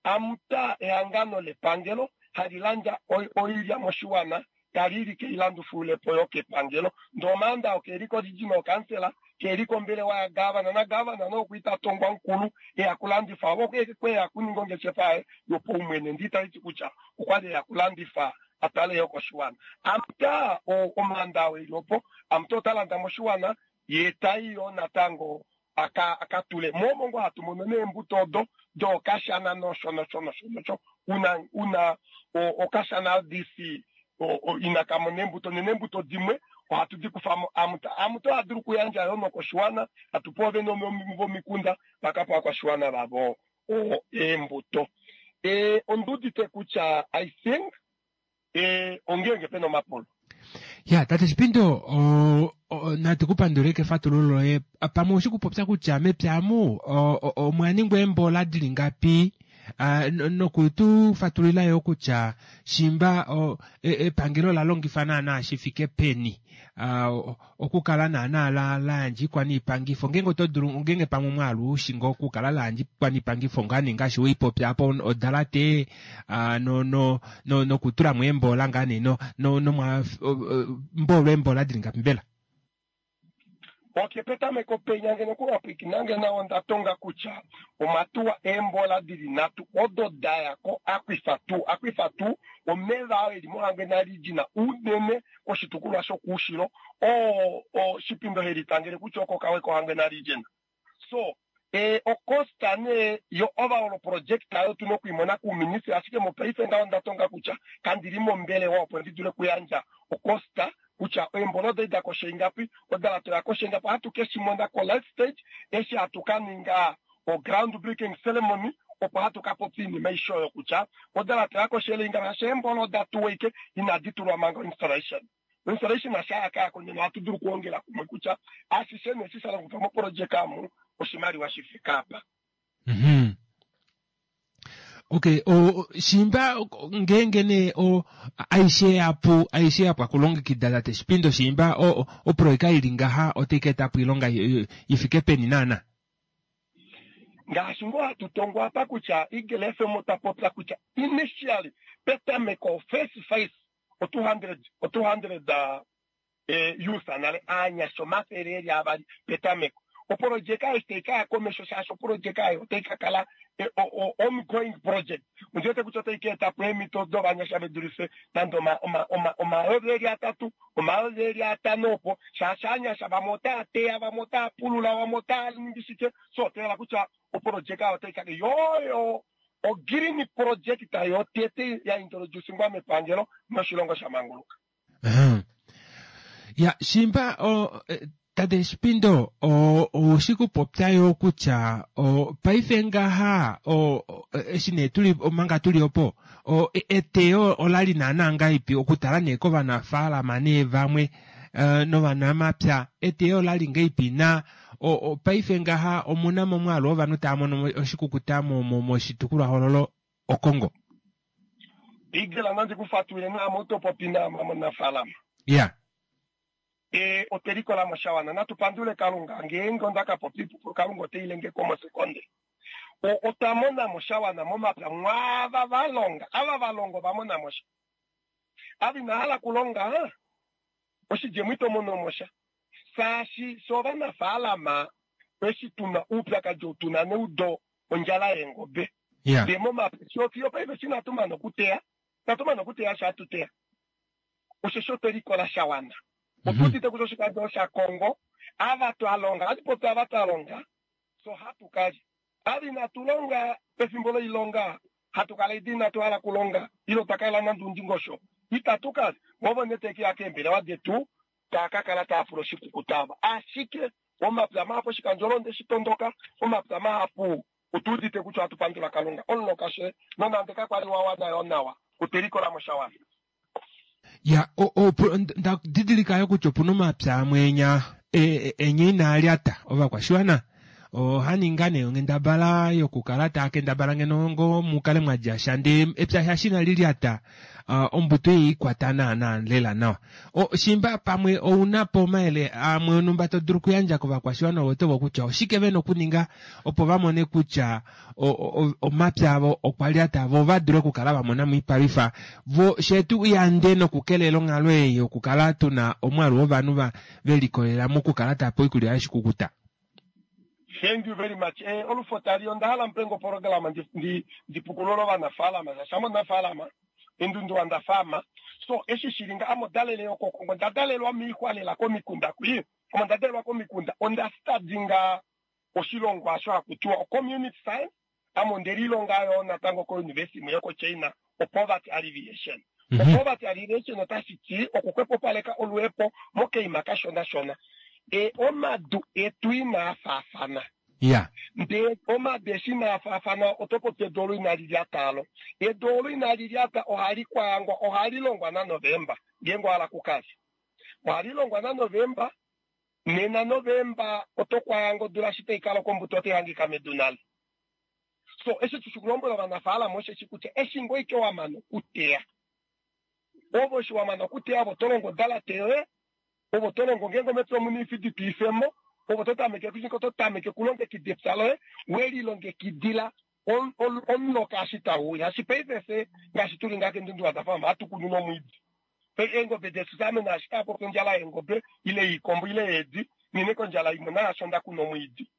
AMTA ehangano lepangelo hali landja oilya moshiwana tali li keilandufulepo yo kepangelo ndee omaanda okeli koregional council keli kombelewa ya gavana na gavana nokuita tongwa nkulu eya kulandifa vo kweya kuninga ongeshefa yaye yopaumwene nditaliti kutya okwali eya kulandifa atale yo koshiwana. AMTA omaanda oo eli opo AMTA ota landa moshiwana ye tai yo natango aka akatule momo ngo hatu mono neembuto odo dookashana nosho nosho nosho nosho una una okashana R D C ina kamona eembuto neembuto dimwe ohatu di kufamo AMTA. AMTA oha dulu okuyandja yo nokoshiwana hatupe ovene vomikunda vakape ovakwashiwana vavo eembuto. E ondiudite kutya I think e ongenge pena omapulo. Ya tate Shipindo natu kupandule kefatululo loye pamwe oshikupopya kutya mepya amu omwa ningwa eembola dili ngapi nokutu fatulila yo kutya shimba epangelo la longifa naana shifike peni okukala naana la layandja ikwaniipangifo ngenge oto dulu ngenge pamwe omwaalu ushinga okukala layandja ikwaniipangifo ngaa nee ngaashi weipopya apo odalate no no no nokutulamo eembola ngaa nee no nomwa mboolwa eembola dili ngapi mbela? Ok, petameko penya ngeno kuwapwikinange nawo ndatonga kutya omatuwa eembola dili nhatu odo daya ko aquifer two aquifer two omeva ao eli moHangwena region unene koshitukulwa shokuushilo oo Shipindo helitangele kutya oko kawe koHangwena region. So e ocosta ne yo overall project ayo tuna okuimona kuuministry ashike mopaife ngaho ndatonga kutya kandili mombelewa opo ndi dule okuyandja ocosta Kutya eembola oda ida kosha ingapi, odalate oya kosha ingapi, ohatu ke shi mona ko last stage eshi hatu ka ninga o ground breaking ceremony, opo hatu ka popya oinima aishe oyo kutya odalate oya koshele ingapi, shaashi eembola oda tuwa ike inadi tulwa manga installation. Installation asha yaka yako nena ohatu dulu okuongela kumwe kutya ashishe neshi sha longifwa moprojeka amu oshimaliwa shi fike apa. Mhm. Okay, o shimba ngeenge nee o aishe yapu aishe yapwa kulongekida tate Shipindo shimba o oproyeka ili ngaha otai ka eta po oilonga i fike peni naana? Ngaashi ngoo hatu tongo apa kutya Eagle F M ota popya kutya initially petameko first phase o two hundred, o two hundred, eh, youth nale aanyasha omafele eli avali petameko. Oprojeka ei tai ka ya komesho shaashi oprojeka ei otai ka kala, eh, o, o, ongoing project. Ondi wete kutya otai ka eta po eemhito dovanyasha ve dulife nande oma, oma, oma, omayovi eli atatu, omayovi eli atano opo, shaashi aanyasha vamwe otaa teya, vamwe otaa pulula, vamwe otaa ningi shike. So otoyela kutya oprojeka otai ka yoyo o green project yotete ya introducingwa mepangelo noshilongo sha manguluka. Uh-huh. Ya, shimba o, eh, tate Shipindo, o, oushi kupopya yo kutya, o, paife ngaha, o, o, eshi nee tuli, omanga tuli opo, o, e, eteyo olali naana ngaipi okutala nee kovanafaalama nee vamwe, eh, novanamapya, eteyo olali ngaipi na, o, o, paife ngaha omuna momwaalu wovanhu tava mono oshikukuta mo, mo, moshitukulwahoololo Okongo. Igela nandi kufatwile naame oto popi naame omunafaalama. Ya. E, otwe likola mo sha wana. Natu pandule Kalunga. Ngeenge onda ka popya iipupulu, Kalunga ote ilenge ko mosekonde. O, otwa mona mo sha wana momapya mwaava va longa. Ava va longa ova mona mo sha. Ava ina hala kulonga, oshidjemo ito mono mo sha. Shaashi fye ovanafaalama, eshi tu na oupyakadi ou tu na neudo ondjala yeengobe. Yeah. Ndee momapya, fiyo fiyo paife eshi inatu mana okuteya, inatu mana okuteya osho hatu teya. Osheshi otwe likola sha wana. Mhm. Otu udite kutya oshikandjo shaKongo, ava twa longa, ohatu popi ava twa longa, so hatu kalya. Ava inatu longa pefimbo loilonga, hatu kala edi inatu hala kulonga, ile otwa kala nande undingosho, itatu kalya. Vovo nee teke ya keembelewa detu, taa ka kala taa pula oshikukuta ava. Ashike, omapya mahapu oshikandjo londe shi tondoka, omapya mahapu otu udite kutya ohatu pandula Kalunga. Omuloka she, nonande kakwa li wa wana yo nawa, otwe likola mo sha wana. Ya, o, o, pu-, nda didilika yo kutya opuna omapya amwe enya, e, e, enya inaa lyata ovakwashiwana. Oha ninga nee onghendabala yokukala taa kendabala ngeno ngo mukale mwa dja sha, ndee epya sha shina li lyata, ah, ombuto ei ikwata naana lela nawa. O, shimba pamwe ouna po omayele amwe onumba to dulu okuyandja kovakwashiwana ovo tovo kutya oshike vena okuninga opo va mone kutya o, o, o, omapya avo okwa lyata, vo va dule okukala va mona moipalwifa, vo shetu yande nokukelela onghalo ei yokukala tuna omwaalu wovanhu va, ve likolelela mokukala tava pewa oikulya yoshikukuta. Thank you very much. Eh, olufo tali onda hala mpengo programa ndi, ndi, ndi pukulula ovanafaalama. Shaashi ame omunafaalama, endundu wanda faama. So, eshi shili nga, ame odalele yokoKongo, onda dalelwa moixwa lela komikunda kwi. Ame onda dalelwa komikunda, onda study nga oshilongo asho haku tiwa o community science. Ame onde lilonga yo natango ko university imwe yokoChina, o poverty alleviation. Mhm. O poverty alleviation otashi ti okuxwepopaleka oluhepo mokeima kashona shona. E, omadu etu inaa faafana. Ya. Ndee omadu eshi inaa faafana, oto popi edu olo inali lyata alo. Edu olo inali lyata ohali kwaangwa, ohali longwa naNovemba, ngeenge owa hala kukalya. Ohali longwa naNovemba, nena Novemba oto kwaanga odula eshi tai kala kombuto otai hangika medu nale. So, eshi tushi kulombwela ovanafaalama osheshi kutya eshi ngoo ike wa mana okuteya. Ovo eshi wa mana okuteya, ovo to longo odalate yoye, ovo to longo ngeenge omepya omuna oifidi to ifemo, ovo to tameke kushika, oto tameke okulongekida epya loye, we lilongekidila ol-, ol-, omuloka eshi tau uya. Shaashi paife fye, ngaashi tuli ngaha kendundu la Dafama, ohatu kunu nomwiidi. Pe eengobe detu ame naashi taa popi ondjala yeengobe, ile yiikombo, ile yeedi, nghene kondjala imwe naashi onda kuna omwiidi.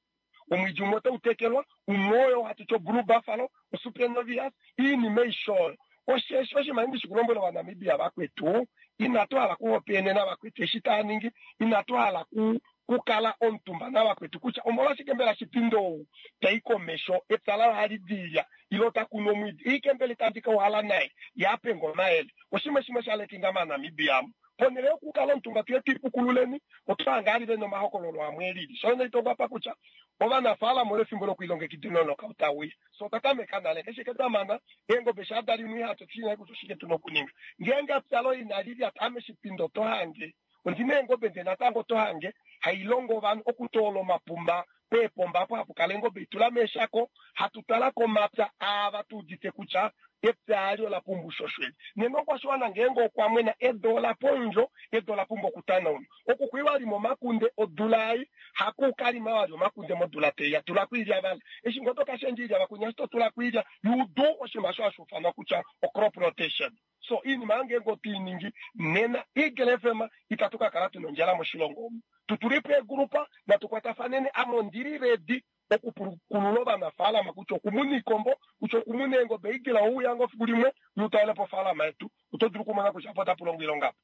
Omwiidi umwe otau tekelwa, umwe oyo hatu ti oblue buffalo, osuprenovias, iinima aishe oyo. Osheshi oshinima ndi shi kulombwela Ovanamibia vakwetu, inatu hala kuhopaenena vakwetu eshi taa ningi, inatu hala ku-, kukala omutumba navakwetu kutya omolwashike mbela Shipindo ou tai komesho, epya laye ohali dilya, ile ota kunu omwiidi, ike mbela itandi ka uhala naye, ye a pe nge omayele. Oshimwe shimwe sha lekinga maNamibia amu. Ponhele yokukala omutumba tuye twiipukululeni, otwa hanga ali vena omahokololo amwe elili. So naitongwa kutya ovanafaalama olo efimbo lokuilongekidila omuloka otauya. So otwa tameka nale ngeshi twa mana eengobe sha limwe ihatu tushina kutya oshike tuna okuninga. Ngeenge epya loye inali lyata ame shipindo oto hange ondina eengobe nde natango oto hange hailongo ovanhu okutoola omapumba peepomba apo hapu kala eengobe itula meeshako hatu twala komapya aava tuudite kutya epya ali ola pumbwa ushoshweli. Nena okwashiwana ngeenge okwa mwena edu ola pondjo, edu ola pumbwa okutanaunwa. Oku kwiwa lima omakunde odula ei, haku kalima wali omakunde modula teiya, tula kwiilya vala. Eshi ngoo tokashendja iilya vakunya eshi totula kwiilya, you do oshinima osho hashi ufanwa kutya o-crop rotation. So iinima ngeenge otwiiningi nena Eagle F M itatu ka kala tuna ondjala moshilongo omu. Tutulipo eegrupa natukwatafaneni ame ondili ready okupukulula ovanafaalama kutya okumuna iikombo, kutya okumuna eengobe. Eagle ouya ngoo fiku limwe utalele po ofaalama yetu, oto dulu okumona kutya apo otapu longwa oilonga apo.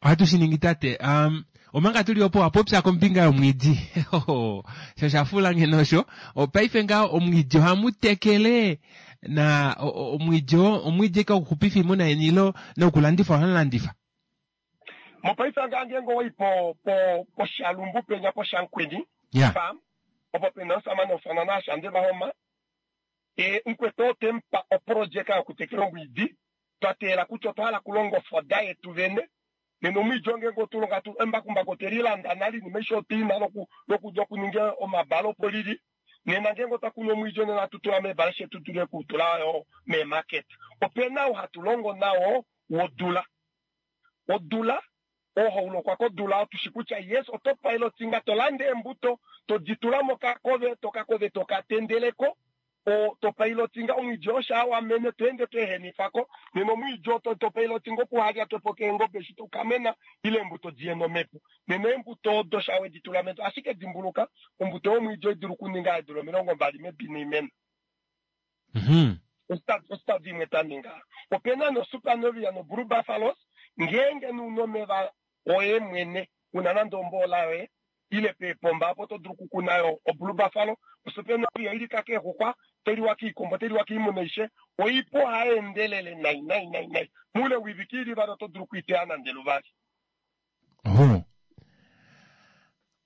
Ohatu shi ningi tate. Um, omanga tuli opo wapopya kombinga yomwiidi. Sho shafula ngeno osho. Opaife ngaho omwiidi ohamu tekele na omwiidi omwiidi ka okuxupifa iimuna yeni ilo nokulandifa ohamu landifa. Mopaife ngaho ngeenge owai po po poshalumbu penya poshankweni Yeah. farm opo pena osamane ofana naashande vahoma e mukwetu otempa oprojeka yokutekela omwiidi twa teela kutya otwa hala okulonga ofoda yetu vene. Nena omwiidi ongeenge otulonga tu embakumbaku otwelilanda nale iinima aishe otwiina loku loku lokuninga omabala opo lili. Nena ngeenge otwa kunu omwiidi nena hatu tula meebala shetu dule okutula yo meemarket. Opena ou hatu longo nawo wodula. Odula ohaulokwa kodula otushi kutya yes oto pilotinga to landa eembuto toditula mokakove tokakove tokatendeleko o to pilotinga omwiidi osha wamene toende tweehenifako. Nena omwiidi oto to pilotinga okuhalya twepo keengobe eshi tokamena ile eembuto diye nomhepo. Nena eembuto odo sha weditula medu ashike dimbuluka ombuto yomwiidi oidulu okuninga eedula omilongo mbali medu inaimena. Mhm. Ostadi imwe twa ninga. Opena no Supernovia no Blue Buffaloes ngeenge nuna omeva oye mwene una nande omboola yoye ile peepomba apo oto dulu okukuna yo o Blue Buffalo. O Supernovia ilika keexuxwa teliwa kiikombo teliwa kiimuna aishe oipu ohaendelele nai nai nai nai muule wiviki ili vali oto dulu okuiteya nande luvali. Oho.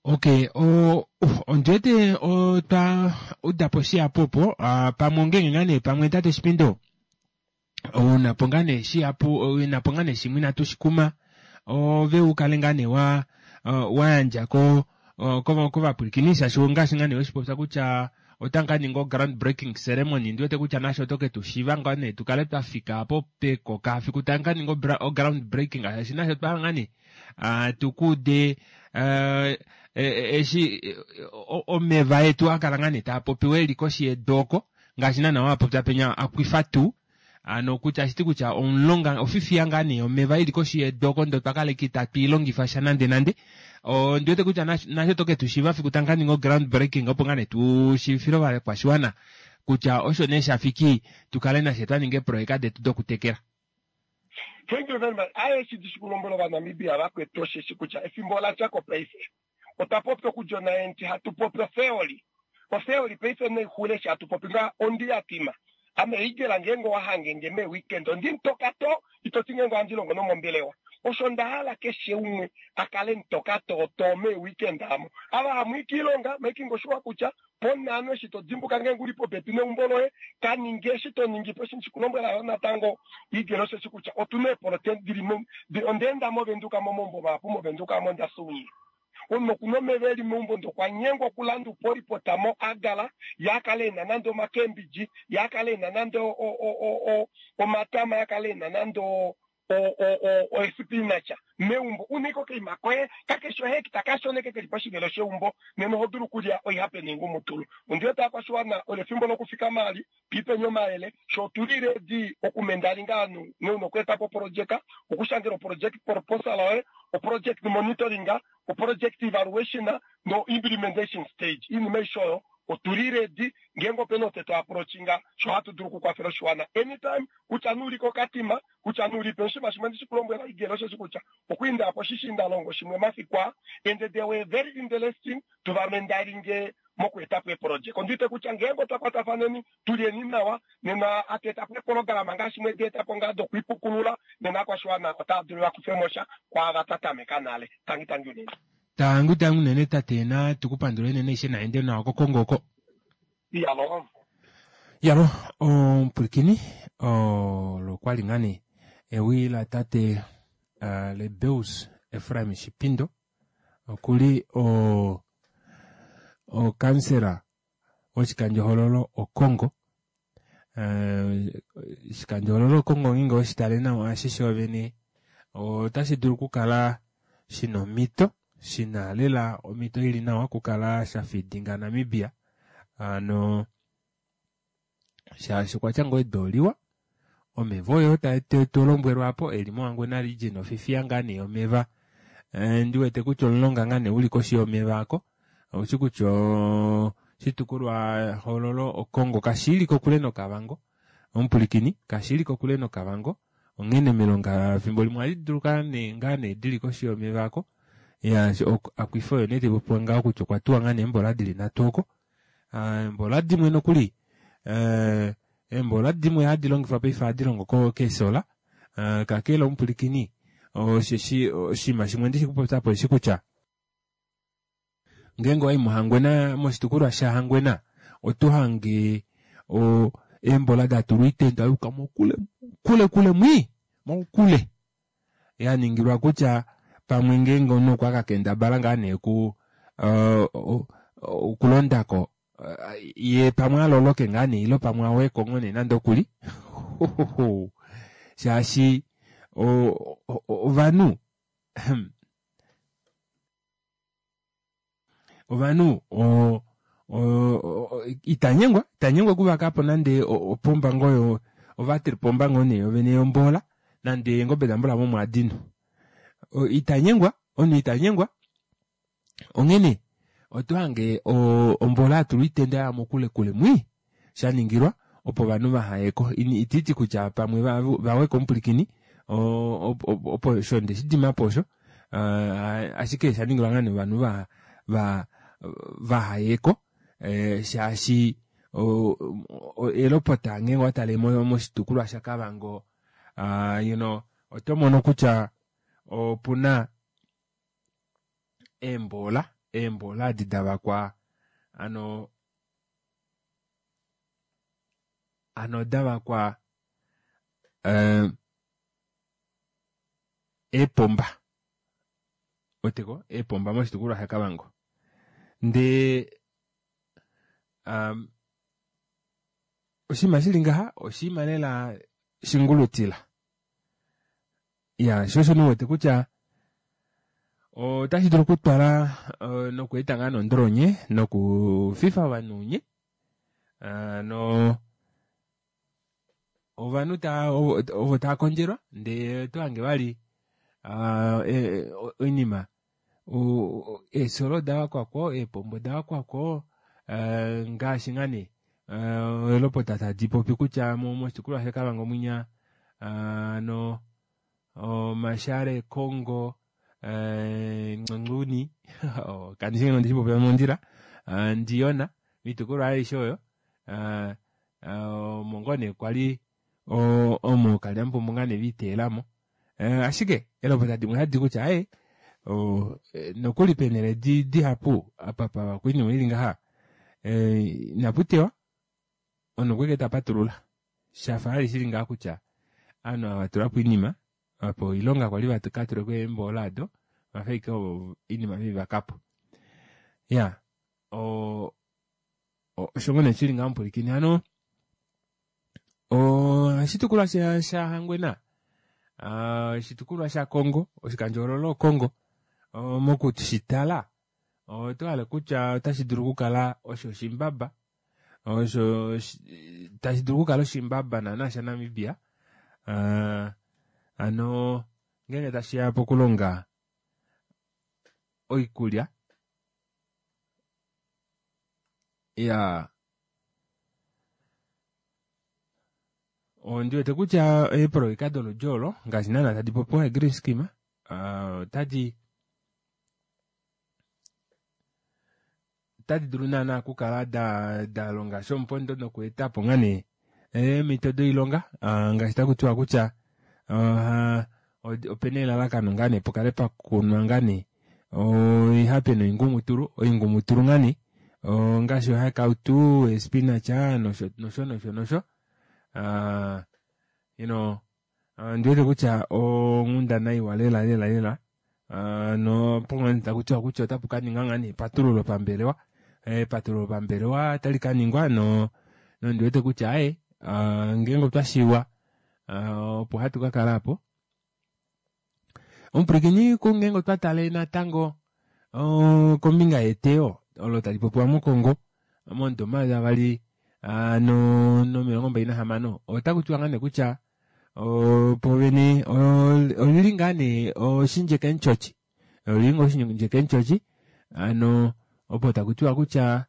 Okay, o uh, ondiwete otwa udapo shihapu opo uh, pamwe ongenge ngaa nee pamwe tate Shipindo unapo ngaa nee shihapu unapo ngaa nee shimwe inatu shikuma ove ukale ngaa nee wa uh, wa yandjako uh, kovapwilikini shaashi ngaashi ngaa nee weshipopya kutya otamu ka ninga o ground breaking ceremony ndiwete kutya nasho oto ke tu shiva ngaa nee tukale twa fika apo pekoka fiku tamu ka ninga o ground breaking shaashi nasho twa ngaa nee uh, tukuude uh, eshi omeva etu akala ngaa nee taa popiwa eli koshi yedu oko ngaashi naana wapopya penya akwifa tuu ano kutya ashiti kutya omulonga ofifiya ngaa nee omeva ili koshi yedu oko ndo twakala itatu ilongifa sha nande nande ondiwete kutya nasho toke tu shiva fiku tamu ka ninga o ground breaking opo ngaa nee tu shiivifile ovakwashiwana kutya osho nee shafiki tukale nashe twa ninga eeproyeka detu dokutekela. Thank you very much. Aye shi dishi kulombwela Ovanamibia vakwetu osheshi kutya efimbo ola dja ko paife. Otwa popya okudja onaenti hatu popi otheory. Otheory paife naixule eshi hatu popi nga ondi yatima. Ame Eagle ngeenge owa hangenge mee weekend ondi mutoka to itoti ngeenge ohandi longo nomombelewa. Osho nda hala keshe umwe akale mutoka to to mee weekend amo. Ava hamwi kiilonga making sure kutya ponhano eshi to dimbuka ngeenge uli popepi neumbo loye kaninge eshi to ningi po eshi ndishikulombwela yo natango Eagle osheshi kutya otuna eepolote dili ondeenda movenduka momaumbo mahapu movenduka amo ndasuunye. Omunhu okuna omeva eli meumbo ndokwa nyengwa okulanda upolipota mo agala yakale ena nande omakembidji yakale ena nande omatama yakale ena nande oespinach meumbo uniko koima koye kakeshe ohekita kashoneke keli poshivelo sheumbo nena oho dulu okulya oihape neingumutulu. Ondiwete aakwashiwana olo efimbo lokufika mali piipenye omayele sho otuli ready okumendalinga ovanhu neuna okweetapo oprojeka okushangela oproject proposal yoye oproject monitoring oproject evaluation no implementation stage iinima aishe oyo otuli ready ngeenge opena oo tetu approachinga sho hatu dulu okukwafela oshiwana anytime kutya nuuli kokatima kutya nuuli pe oshinima shimwe ndishikulombwela Eagle osheshi kutya okwiinda po shishiindalongo shimwe mafiku aa and they were very interesting tuvamendalinge Mokuetapo eeprojeka ondiwete kutya ngeenge otwa kwatafaneni tulyeni nawa nena atu etapo eeprograma ngaashi mwedi etapo ngaa dokwiipukulula nena akwashiwana otaa dulu vakufemo sha kwaava twa tameka nale. Tangi tangi unene. Tangu tangu unene tate, na tukupandula unene ishe naende nawa koKongo oko. Iyalo. Yalo omupwilikini olo kwali ngaa nee ewi la tate uh, Lebeus Ephraim Shipindo, okuli o okansela woshikandjohololo Okongo. Oshikandjohololo Okongo ngeenge weshitale nawa ashishe ovene otashi dulu okukala shina omhito, shina lela omhito ili nawa okukala sha fidinga Namibia, ano shaashi okwatya ngoo edu oliwa, omeva oyo tolombwelwa apo eli mOhangwena region ofifiya ngaa nee omeva. Ndi wete kutya omulonga ngaa nee uli koshi yomeva ako, oushi kutya oshitukulwa hoololo Okongo kashili kokule noKavango, omupulikini kashili kokule noKavango, onghene milonga fimbo limwe ohadi dulu ngaa nee dili koshi yomeva ako. Ya akwifa oyo nee taipopiwa ngaho kutya okwa tuwa ngaa nee eembola dili nhatu oko, eembola dimwe nokuli eembola dimwe hadi longifwa paife ohadi longo keesola. Kakele omupulikini osheshi oshinima shimwe ndishi kupopyapo eshi kutya ngeenge owayi mOhangwena, moshitukulwa shaHangwena oto hange eembola datulwa oitenda yuuka mokule kule kule mwii mokule, yaningilwa kutya pamwe ngeenge omunhu okwa kakendabala ngaa nee ku okulondako ye pamwe aloloke ngaa nee ilo pamwe aweko ngoo nee nande okuli shaashi ovanhu ovanhu itanyengwa itanyengwa okuvakapo nande opomba ngoo ovatripomba ngoo nee yovene yombola nande eengobe dambula momwaadino itanyengwa omunhu itanyengwa. Onghene oto hange ombola yatulwa oitenda ya mokule kule mwii shaningilwa opo ovanhu vahayeko, ititi kutya pamwe vaweko omupulikini opo osho ndeshidimapo osho, ashike shaningilwa ngaa nee ovanhu va va vahayeko shaashi elopota ngeenge owatale moshitukulwa shaKavango you know oto mono kutya opuna eembola eembola adi davakwa ano ano davakwa eepomba weteko eepomba moshitukulwa shaKavango ndee oshinima shili ngaha oshinima lela shingulutila ya sho osho niwete kutya otashi dulu okutwala nokweeta ngaa nondolonye nokufifa ovanhu unye no ovanhu ta ovo tava kondjelwa ndee oto hange vali oinima eesolo davakwako eepombo davakwako ngaashi ngaa nee elopota tadi popi kutya moshitukulwa shaKavango mwinya no Mashare Kongo Ngcongcuni kandishi ngeno ndishipopya mondjila Ndiyona moitukulwa aishe oyo omo ngoo nee kwali omo kalyamupombo ngaa nee viitelamo. Ashike elopota dimwe hadi kutya aye nokuli penele dihapu apa pavakwa oinima ili ngaha inaputewa omunhu okweke tapatulula shafa vali shili ngaha kutya ovanhu ava vatulapo oinima opo oilonga kwali vakatuleko eembola ado vafa ashike oinima veivakapo. Ya osho ngoo nee shili ngaho omupulikini hano oshitukulwa shaHangwena oshitukulwa shaKongo oshikandjohoololo Okongo mokushitala oto hale kutya otashi dulu okukala osho oshimbaba osho tashi dulu okukala oshimbaba naana shaNamibia ano ngeenge tashiya pokulonga oikulya ya ondiwete kutya eeprojeka doludi olo ngaashi naana tadi popiwa green scheme otadi Otadi dulu naana okukala da da longa shomupondo nokuetapo ngaa nee eemhito doilonga ngaashi takutiwa kutya opena elalakano ngaa nee pukale pakunwa ngaa nee oihape noingumutulu oingumutulu ngaa nee ngaashi oihakautu, espinach nosho nosho nosho nosho you know ondiwete kutya onghundana iwa lela lela lela nopo takutiwa kutya otapu kaninga ngaa nee epatululo pambelewa epatululo pambelewa otali kaningwa no nondiwete kutya aye ngeenge otwashiwa opo hatu kakala apo. Omupwilikini kungeenge otwa tale natango kombinga yeteyo olo tali popiwa moKongo momudo omayovi avali nomilongo mbali nahamano otakutiwa ngaa nee kutya povene olili ngaa nee oshindjeke mutyotyi olili ngoo oshindjeke mutyotyi ano opo takutiwa kutya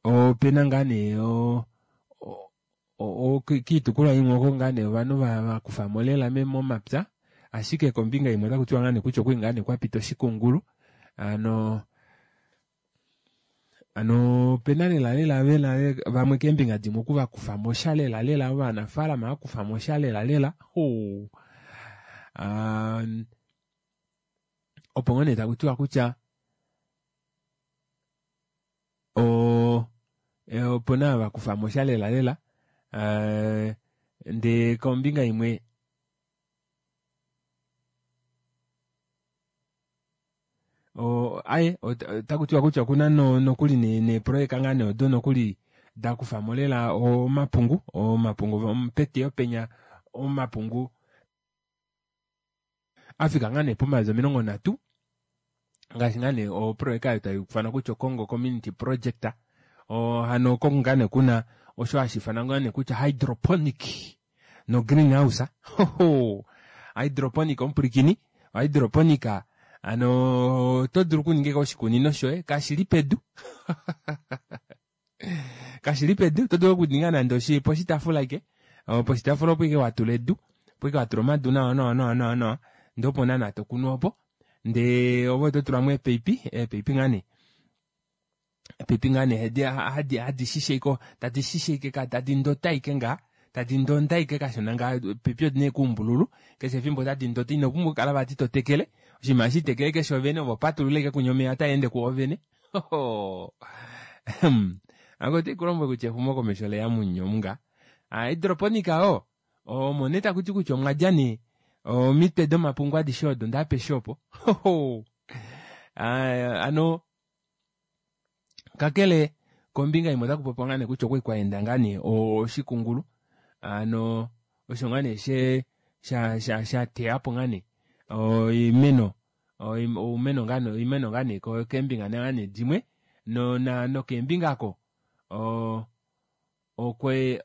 opena ngaa nee kiitukulwa imwe oko ngaa nee ovanhu vakufamo lela momapya ashike kombinga imwe otakutiwa ngaa nee kutya okwali ngaa nee kwapita oshikungulu ano ano opena lela lela vena vamwe keembinga dimwe oku vakufamo sha lela lela ovanafalama vakufamo sha lela lela opo ngoo nee takutiwa kutya opena vakufamo sha lela lela ndee kombinga imwe aye otakutiwa kutya okuna nokuli neeprojeka ngaa nee odo nokuli dakufamo lela omapungu omapungu peteyo penya omapungu afika ngaa nee pomayovi omilongo nhatu ngaashi ngaa nee oprojeka oyo taifanwa kutya Congo Community Project hano oko ngaa nee kuna osho hashiifanwa ngaa nee kutya hydroponic no greenhouse hydroponic omupwilikini hydroponic ano oto dulu okuninga oshikunino shoye kashili pedu kashili pedu oto dulu okuninga nande poshitaafula ike poshitaafula opo ike watula edu opo ike watula omadu nawa nawa nawa nawa nawa ndee opo naana tokunu opo ndee ove oto tulamo eepaipi eepaipi ngaa nee eepaipi ngaa nee hadi shishe tadi shishe ike tadi ndota ike ngaa tadi ndonda ike kashona ngaa eepaipi odina ike oumbululu keshe efimbo otadi ndota inopumbwa okukala vati totekele oshinima hashi keshe ovene ove opatulula ike kunya omeya otaende kuo vene ako otikulombwele kutya exumokomesho leya munyuni nga hydroponic oo omo nee takuti kutya omwadja nee omitwe domapungu adishe odo ndaapeshe opo ano kakele kombinga imwe otakupopiwa ngaa nee kutya okwali kwaenda ngaa nee oshikungulu ano osho ngaa nee she sha sha shateyapo ngaa nee oimeno oumeno ngaa nee oimeno ngaa nee keembinga ngaa nee dimwe no nokeembinga ako okwe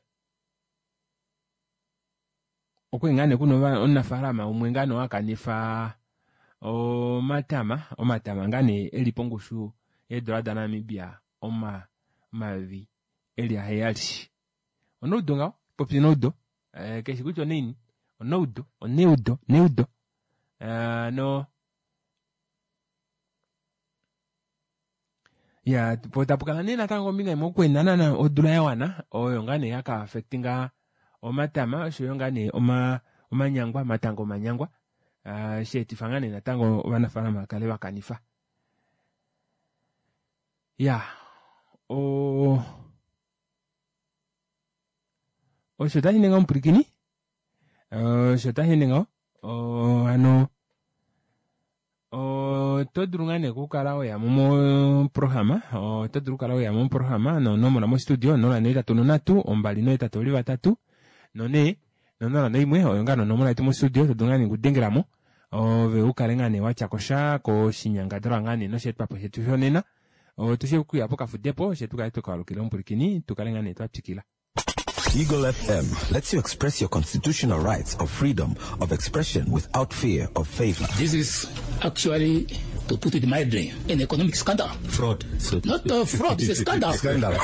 okwali ngaa nee kuna omunafalama umwe ngaa nee wakanifa omatama omatama ngaa nee eli pongushu yeedola daNamibia omayovi eli aheyali oneudo ngaho popi neudo keshi kutya onaini oneudo oneudo neudo no ya po tapukala nee natango kombinga imwe okwenda naana odula yawana oyo ngaa nee yaka affectinga omatama oshoyo ngaa nee omanyangwa omatango omanyangwa sheetifa ngaa nee natango ovanafalama vakale vakanifa ya o osho tashi omupwilikini osho tashi ngaho hano oto dulu ngaa nee okukala weyamo moprograma oto dulu okukala weyamo moprograma nonomola mostudio onola nohetatu nonhatu ombali nohetatu ovali vatatu nonhee nonola noimwe oyo ngaa nonomola yetu mostudio to dulu ngaa nee okudengelamo ove ukale ngaa nee watyakosha koshinyangadalwa ngaa nee nosheetwapo shetu shonena otushe okuya pokafudepo she tukale tukalukile omupwilikini tukale ngaa nee twatwikila. Eagle F M lets you express your constitutional rights of freedom of expression without fear of favor. This is actually, to put it mildly, an economic scandal. Fraud. Not a fraud, it's a scandal. Scandal.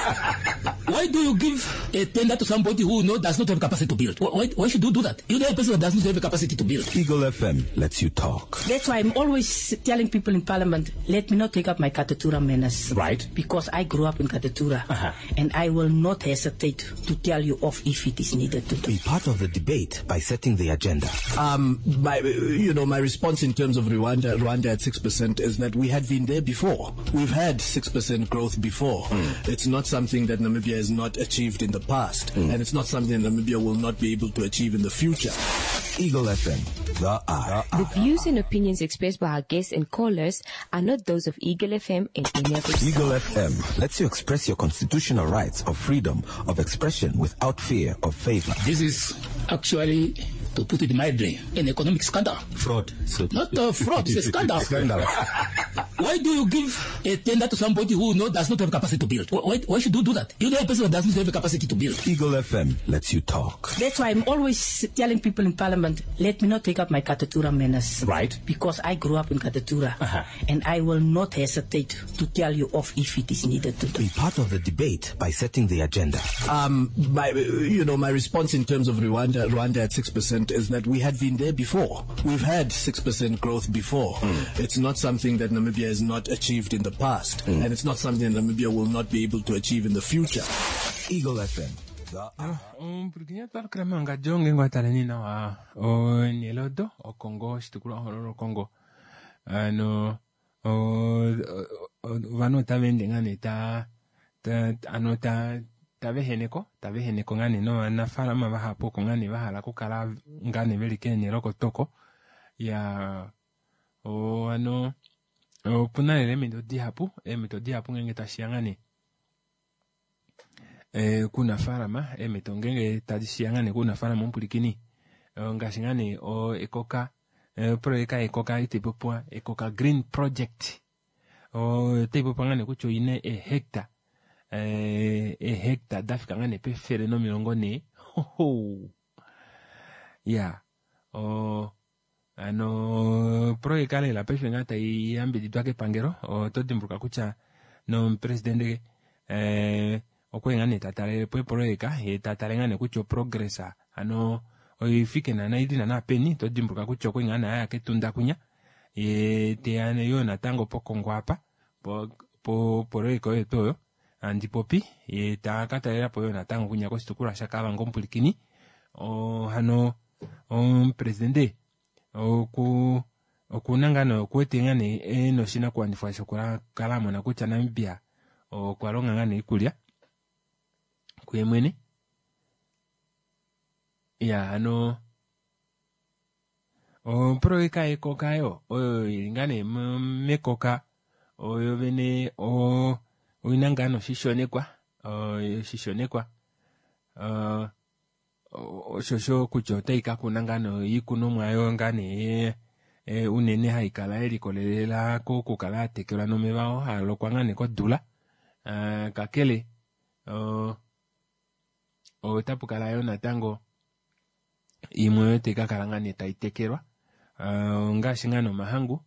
Why do you give a tender to somebody who know does not have capacity to build? Why, why should you do that? You know a person that does not have a capacity to build. Eagle F M lets you talk. That's why I'm always telling people in Parliament, let me not take up my Katutura manners. Right. Because I grew up in Katutura. Uh-huh. And I will not hesitate to tell you off if it is needed to do. Be part of the debate by setting the agenda. Um, my, you know, my response in terms of Rwanda, Rwanda at six percent is that we had been there before. We've had six percent growth before. Mm. It's not something that Namibia has not achieved in the past, mm. and it's not something that Namibia will not be able to achieve in the future. Eagle F M, the eye. The views and opinions expressed by our guests and callers are not those of Eagle F M and any of its Eagle F M lets you express your constitutional rights of freedom of expression without fear of favor. This is actually, to put it mildly, an economic scandal. Fraud. So Not a fraud, it's a scandal. Scandal. Why do you give a tender to somebody who know does not have capacity to build? Why, why should you do that? You know a person that does not have a capacity to build. Eagle F M lets you talk. That's why I'm always telling people in Parliament, let me not take up my Katutura manners. Right. Because I grew up in Katutura. Uh-huh. And I will not hesitate to tell you off if it is needed to do. Be part of the debate by setting the agenda. Um, my, you know, my response in terms of Rwanda, Rwanda at six percent is that we had been there before. We've had six percent growth before. Mm. It's not something that Namibia has not achieved in the past, mm. and it's not something that Namibia will not be able to achieve in the future. Eagle F M. Omupulikinya twalukila mangadjo ngeenge wataleni nawa onelodo okongo oshitukulwa hoololo Kongo ano ovanhu otava ende ngaa nee ta ano ta taveheneko taveheneko ngaa nee novanafaalama vahapu oko ngaa nee vahala okukala ngaa nee veli keenhele kotoko ya ano opuna lela eemhito dihapu eemhito dihapu ngeenge tashiya ngaa nee kuunafaalama eemhito ngeenge tashiya ngaa nee kuunafaalama omupulikini ngaashi ngaa nee ekoka projeka ekoka itaipopiwa ekoka green project otaipopiwa ngaa nee kutya oina ehecta ehecta dafika ngaa nee pefele nomilongo nhee ya ano projeka lela paife ngaa taiyambididwa kepangelo oto dimbuluka kutya nomupresidente okwali ngaa nee tatalelepo eprojeka ye tatale ngaa nee kutya oprogress ano oifike naana ili naana peni to dimbuluka kutya okwali ngaa nee aya ketunda kunya ye teya yo natango pokongo apa po projeka oyo tuu oyo andipopi ye takatalelapo yo natango kunya koshitukulwa shaKavango omupulikini hano omupresidente oku okuna ngaa nee okuwete ngaa nee ena oshinakuwanifwa shokukala amona kutya Namibia okwa longa ngaa nee iikulya kuye mwene ya ano oprojeka yekoka yo oyo ili ngaa nee mekoka oyo vene oina ngaa noshishonekwa oshishonekwa oshosho kutya otai kakuna ngaa noiikunomwa yo ngaa nee unene haikala yelikolelela kokukala yatekelwa nomeva oo haalokwa ngaa nee kodula kakele otapukala yo natango imwe oyo taikakala ngaa nee taitekelwa ngaashi ngaa nomahangu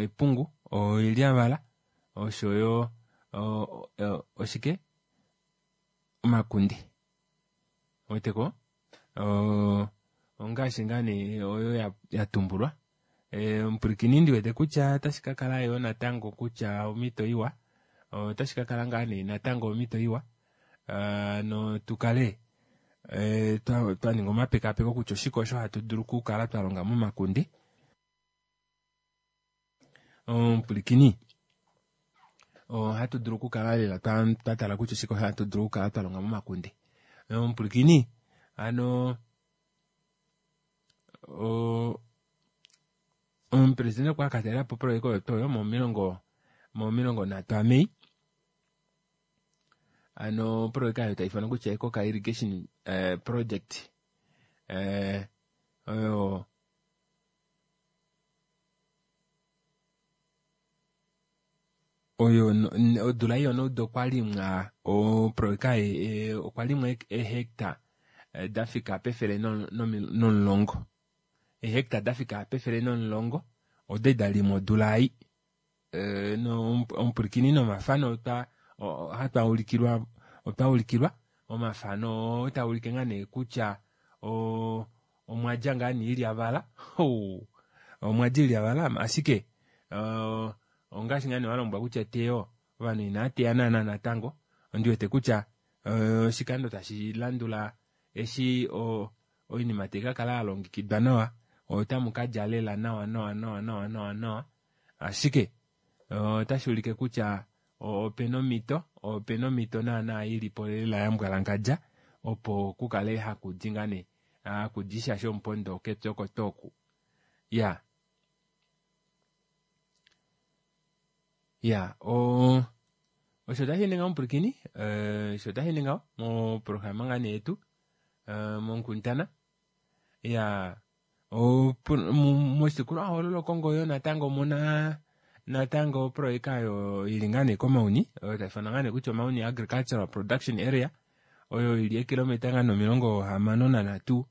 epungu oilyavala oshoyo oshike omakunde weteko ongaashi ngaa nee oyo yatumbulwa omupulikini ndiwete kutya otashi kakala yo natango kutya omhito iwa otashi kakala ngaa nee natango omhito iwa no tukale twaninga omapekapeko kutya oshike osho hatu dulu okukala twalonga momakunde omupulikini ohatu dulu okukala lela twatala kutya oshike osho hatu dulu okukala twalonga momakunde omupulikini ano omupresidente okwa katalelapo projeka oyo tuu oyo momilongo momilongo nhatu aMei ano projeka oyo taifanwa kutya Ekoka irrigation project oyo oyo odula iyo noudo okwalimwa oprojeka okwalimwa ehecta dafika pefele nomulongo ehecta dafika pefele nomulongo oda dalimwa odula ei omupulikini nomafano hatwa ulikilwa Otwa ulikilwa omafano oo taa ulike ngaa nee kutya o omwadja ngaa nee ilyavala. Omwadja ilyavala ashike uh, ongaashi ngaa nee walombwelwa kutya eteyo ovanhu inaa teya naana natango. Ondiwete kutya oshikando tashi landula eshi oinima tai kakala yalongekidwa nawa otamu kalya lela nawa nawa nawa nawa nawa nawa. Ashike otashi ulike kutya opena omhito opena omhito naana ilipo lela yambwalangandja opo kukale hakudi ngaa nee hakudi sha shomupondo kepya oko tuu oku. Iyaa iya oo osho tashi ende ngaho mupwilikini, osho tashi ende ngaho moprograma ngaa nee yetu monkundana. Iyaa moshitukulwa hoololo Okongo yoo natango omuna natango oproyeka oyo ili ngaa nee koMauni, oyo taifanwa ngaa nee kutya oMauni Agricultural Production Area, oyo ili eekilometa ngaa nee omilongo hamano nanhatu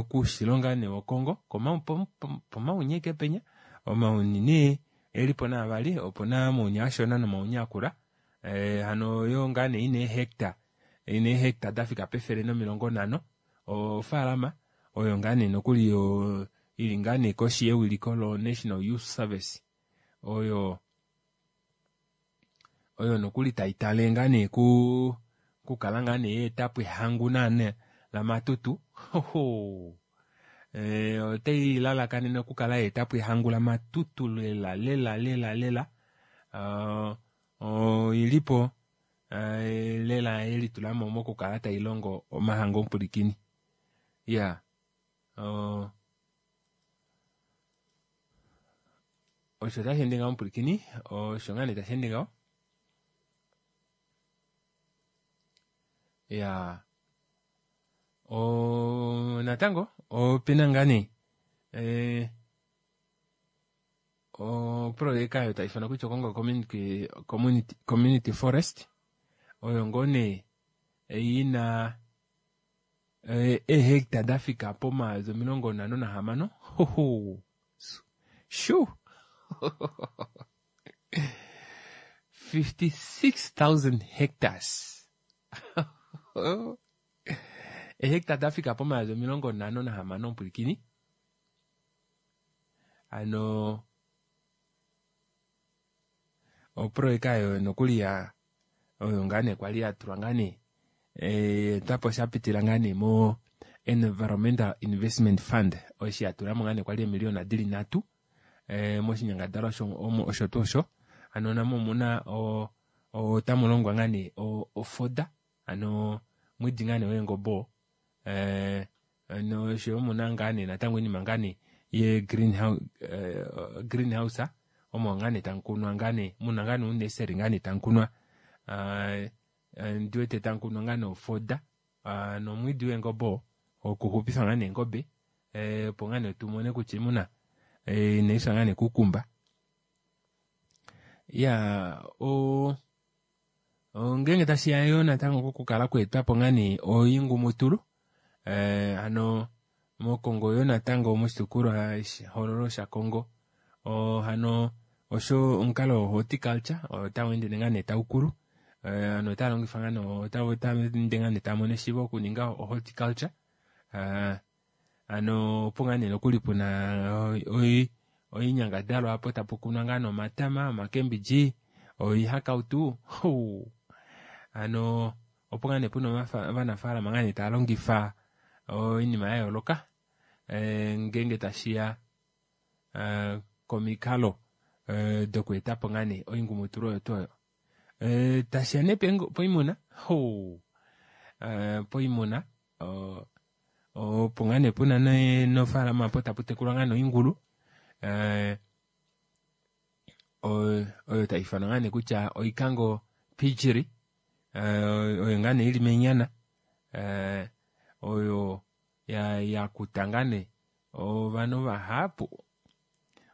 koushilo ngaa nee wOkongo poMauni ashike penya. Omauni nee elipo nee avali, opuna omauni ashona nomauni akula. Hano oyo ngaa nee ina eehecta ina eehecta dafika pefele nomilongo nhano ofaalama oyo ngaa nee nokuli ili ngaa nee koshi yewiliko lo National Youth Service oyo oyo nokuli taitale ngaa nee ku kukala ngaa nee yaetapo ehangu naana lamatutu. Otai lalakanene okukala yaetapo ehangu lamatutu lela lela lela lela. Oilipo lela yelitulamo mokukala tailongo omahangu omupwilikini. Iyaa osho tasheende ngaho mupwilikini, osho ngaa nee tasheende ngaho. Iyaa oo natango opena ngaa nee oprojeka oyo taifanwa kutya Okongo community, community forest oyo ngoo nee ina eehecta dafika pomayovi omilongo nhano nahamano. Shoo fifty six thousand hectares. Eehecta dafika pomayovi omilongo nhano nahamano mupwilikini. Hano oprojeka oyo nokuli ya oyo ngaa nee kwali yatulwa ngaa nee etwapo shapitila ngaa nee mo Environmental Investment Fund eshi yatulamo ngaa nee kwali eemiliyona dili nhatu moshinyangadalwa osho tuu osho. Hano namo omuna otamulongwa ngaa nee ofoda hano omwiidi ngaa nee weengobe oo noshoyo omuna ngaa nee natango oinima ngaa nee ye greenhouse omo ngaa nee tamukunwa ngaa nee muna ngaa nee ouneseri ngaa nee tamukunwa ndiwete tamukunwa ngaa nee ofoda nomwiidi weengobe oo okuxupifa ngaa nee eengobe opo ngaa nee tumone kutya oimuna inaifya ngaa nee kuukumba. Iyaa oo ngeenge tashiya yoo natango kokukala kweetwapo ngaa nee oingumutulu hano mOkongo yoo natango moshitukulwa hoololo shaKongo hano osho omukalo wo horticulture otaweende ngaa nee taukulu. Ovanhu otava longifa ngaa nee otaveende ngaa nee taamono eshiivo okuninga horticulture. Hano opo ngaa nee nokuli puna oinyangadalwa apo tapukunwa ngaa nee omatama, omakembidji, oihakautu. Hano opo ngaa nee puna ovanafalama ngaa nee taalongifa oinima yayooloka ngeenge tashiya komikalo dokweetapo ngaa nee oingumutulu oyo tuu oyo. Tashiya nee poimuna, poimuna opo ngaa nee puna nofaalama aapo taputekulwa ngaa nee oingulu oyo taifanwa ngaa nee kutya Oikango Piggery oyo ngaa nee ili mEenhana oyo yakuta ngaa nee ovanhu vahapu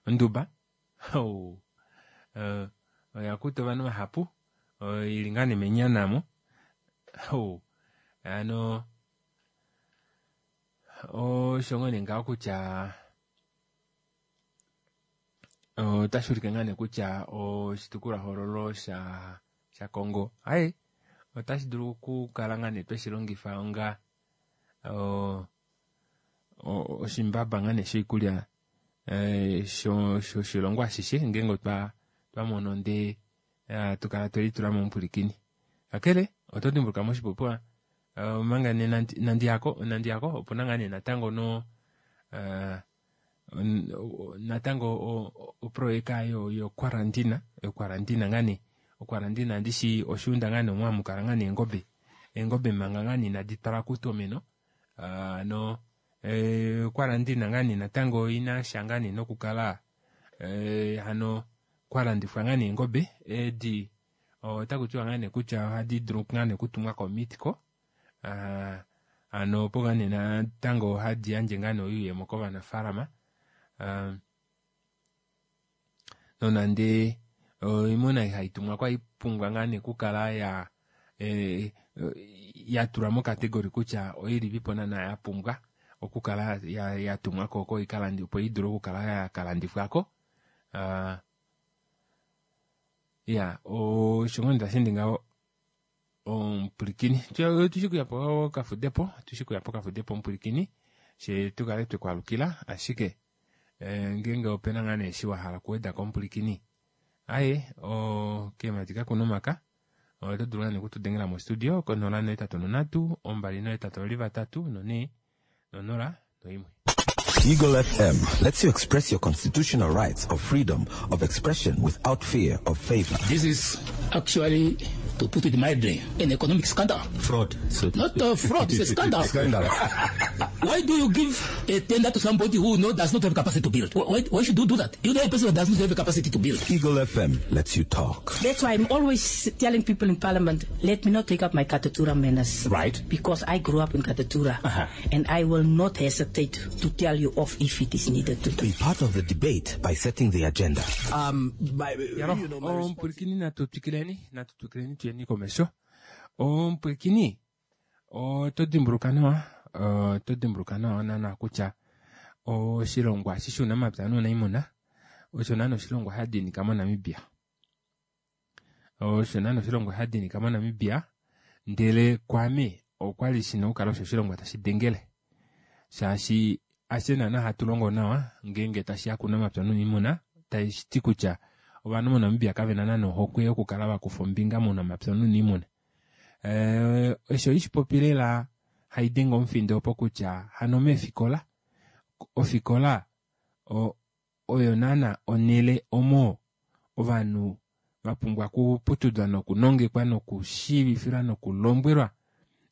onduba oyakuta ovanhu vahapu ili ngaa nee mEenhana aamo. Hano osho ngoo nee ngaho kutya otashuulike ngaa nee kutya oshitukulwa hoololo shaKongo aaye Otashi dulu okukala ngaa nee tweshi longifa onga o- o- oshimbaba ngaa nee shoikulya eh, sho- shoshilongo ashishe ngeenge otwa twamono ndee eh, tukala twelitula mo omupwilikini. Kakele oto dimbuluka moshipopiwa eh, omanga nee nandi- nandiyako nandiyako opuna ngaa nee natango no eh, on- o- natango o- o- oproyeka yo yokwarantina yokwarantina ngaa nee okwarantina ndishi oshuunda ngaa nee omo hamu kala ngaa nee eengobe eengobe manga ngaa nee inadi twalwa kuutomeno Ah, no eh, okwarantina ngaa nee natango oina sha ngaa nee nokukala eh, hano kwalandifwa ngaa nee eengobe edi otaku tiwa ngaa nee kutya ohadi dulu ngaa nee okutumwa komitco Ah, hano opo ngaa nee natango hadi yandje ngaa nee oyuuyemo kovanafaalama Ah, nonande oimuna haitumwa kwa ipumbwa ngaa nee okukala ya eh, ya tulwa mokategori kutya oilipipo naana ya pumbwa okukala ya, ya tumwa ko oko ikalandi opo idule okukala ya kalandifwako uh, ya osho ngoo nee tashi ngaho omupwilikini tushi kuyapo kafudepo tushi kuyapo kafudepo omupwilikini she tukale twekwalukila ashike eh, ngeenge opena ngaa nee eshi wahala okuwedako omupwilikini aye o keemati kakuna omaka oto dulu ngaa nee okutudengela mostudio konola nohetatu nonhatu ombali nohetatu ovali vatatu nonhee nonola noimwe. Eagle F M lets you express your constitutional rights of freedom of expression without fear of favor. This is actually, to put it mildly, an economic scandal. Fraud. So Not a fraud, it's a scandal. Scandal. Why do you give a tender to somebody who no, does not have capacity to build? Why, why should you do that? You know a person who does not have the capacity to build. Eagle F M lets you talk. That's why I'm always telling people in Parliament, let me not take up my Katutura manners. Right. Because I grew up in Katutura. Uh-huh. And I will not hesitate to tell you off if it is needed to do. Be part of the debate by setting the agenda. Um, my, Yaro, you know, my response omupwilikini natu twikileni natu twikileni tuyeni komesho. Omupwilikini oto dimbuluka nawa oto dimbuluka nawa naana kutya oshilongwa eshi shuunamapya nuunaimuna osho naana oshilongwa sha dinika moNamibia. Osho naana oshilongwa sha dinika moNamibia ndele kwame okwali shina okukala osho oshilongwa tashi dengele shaashi ashe naana hatu longo nawa ngeenge tashiya kuunamapya nuuniimuna tashi ti kutya ovanhu moNamibia kavena naana ohokwe yokukala vakufa ombinga mounamapya nuuniimuna. Eh, osho ishipopi lela haidenge omufindo opo kutya hano meefikola ofikola o, oyo naana onele omo ovanhu vapumbwa okuputudwa nokunongekwa nokushiivifilwa nokulombwelwa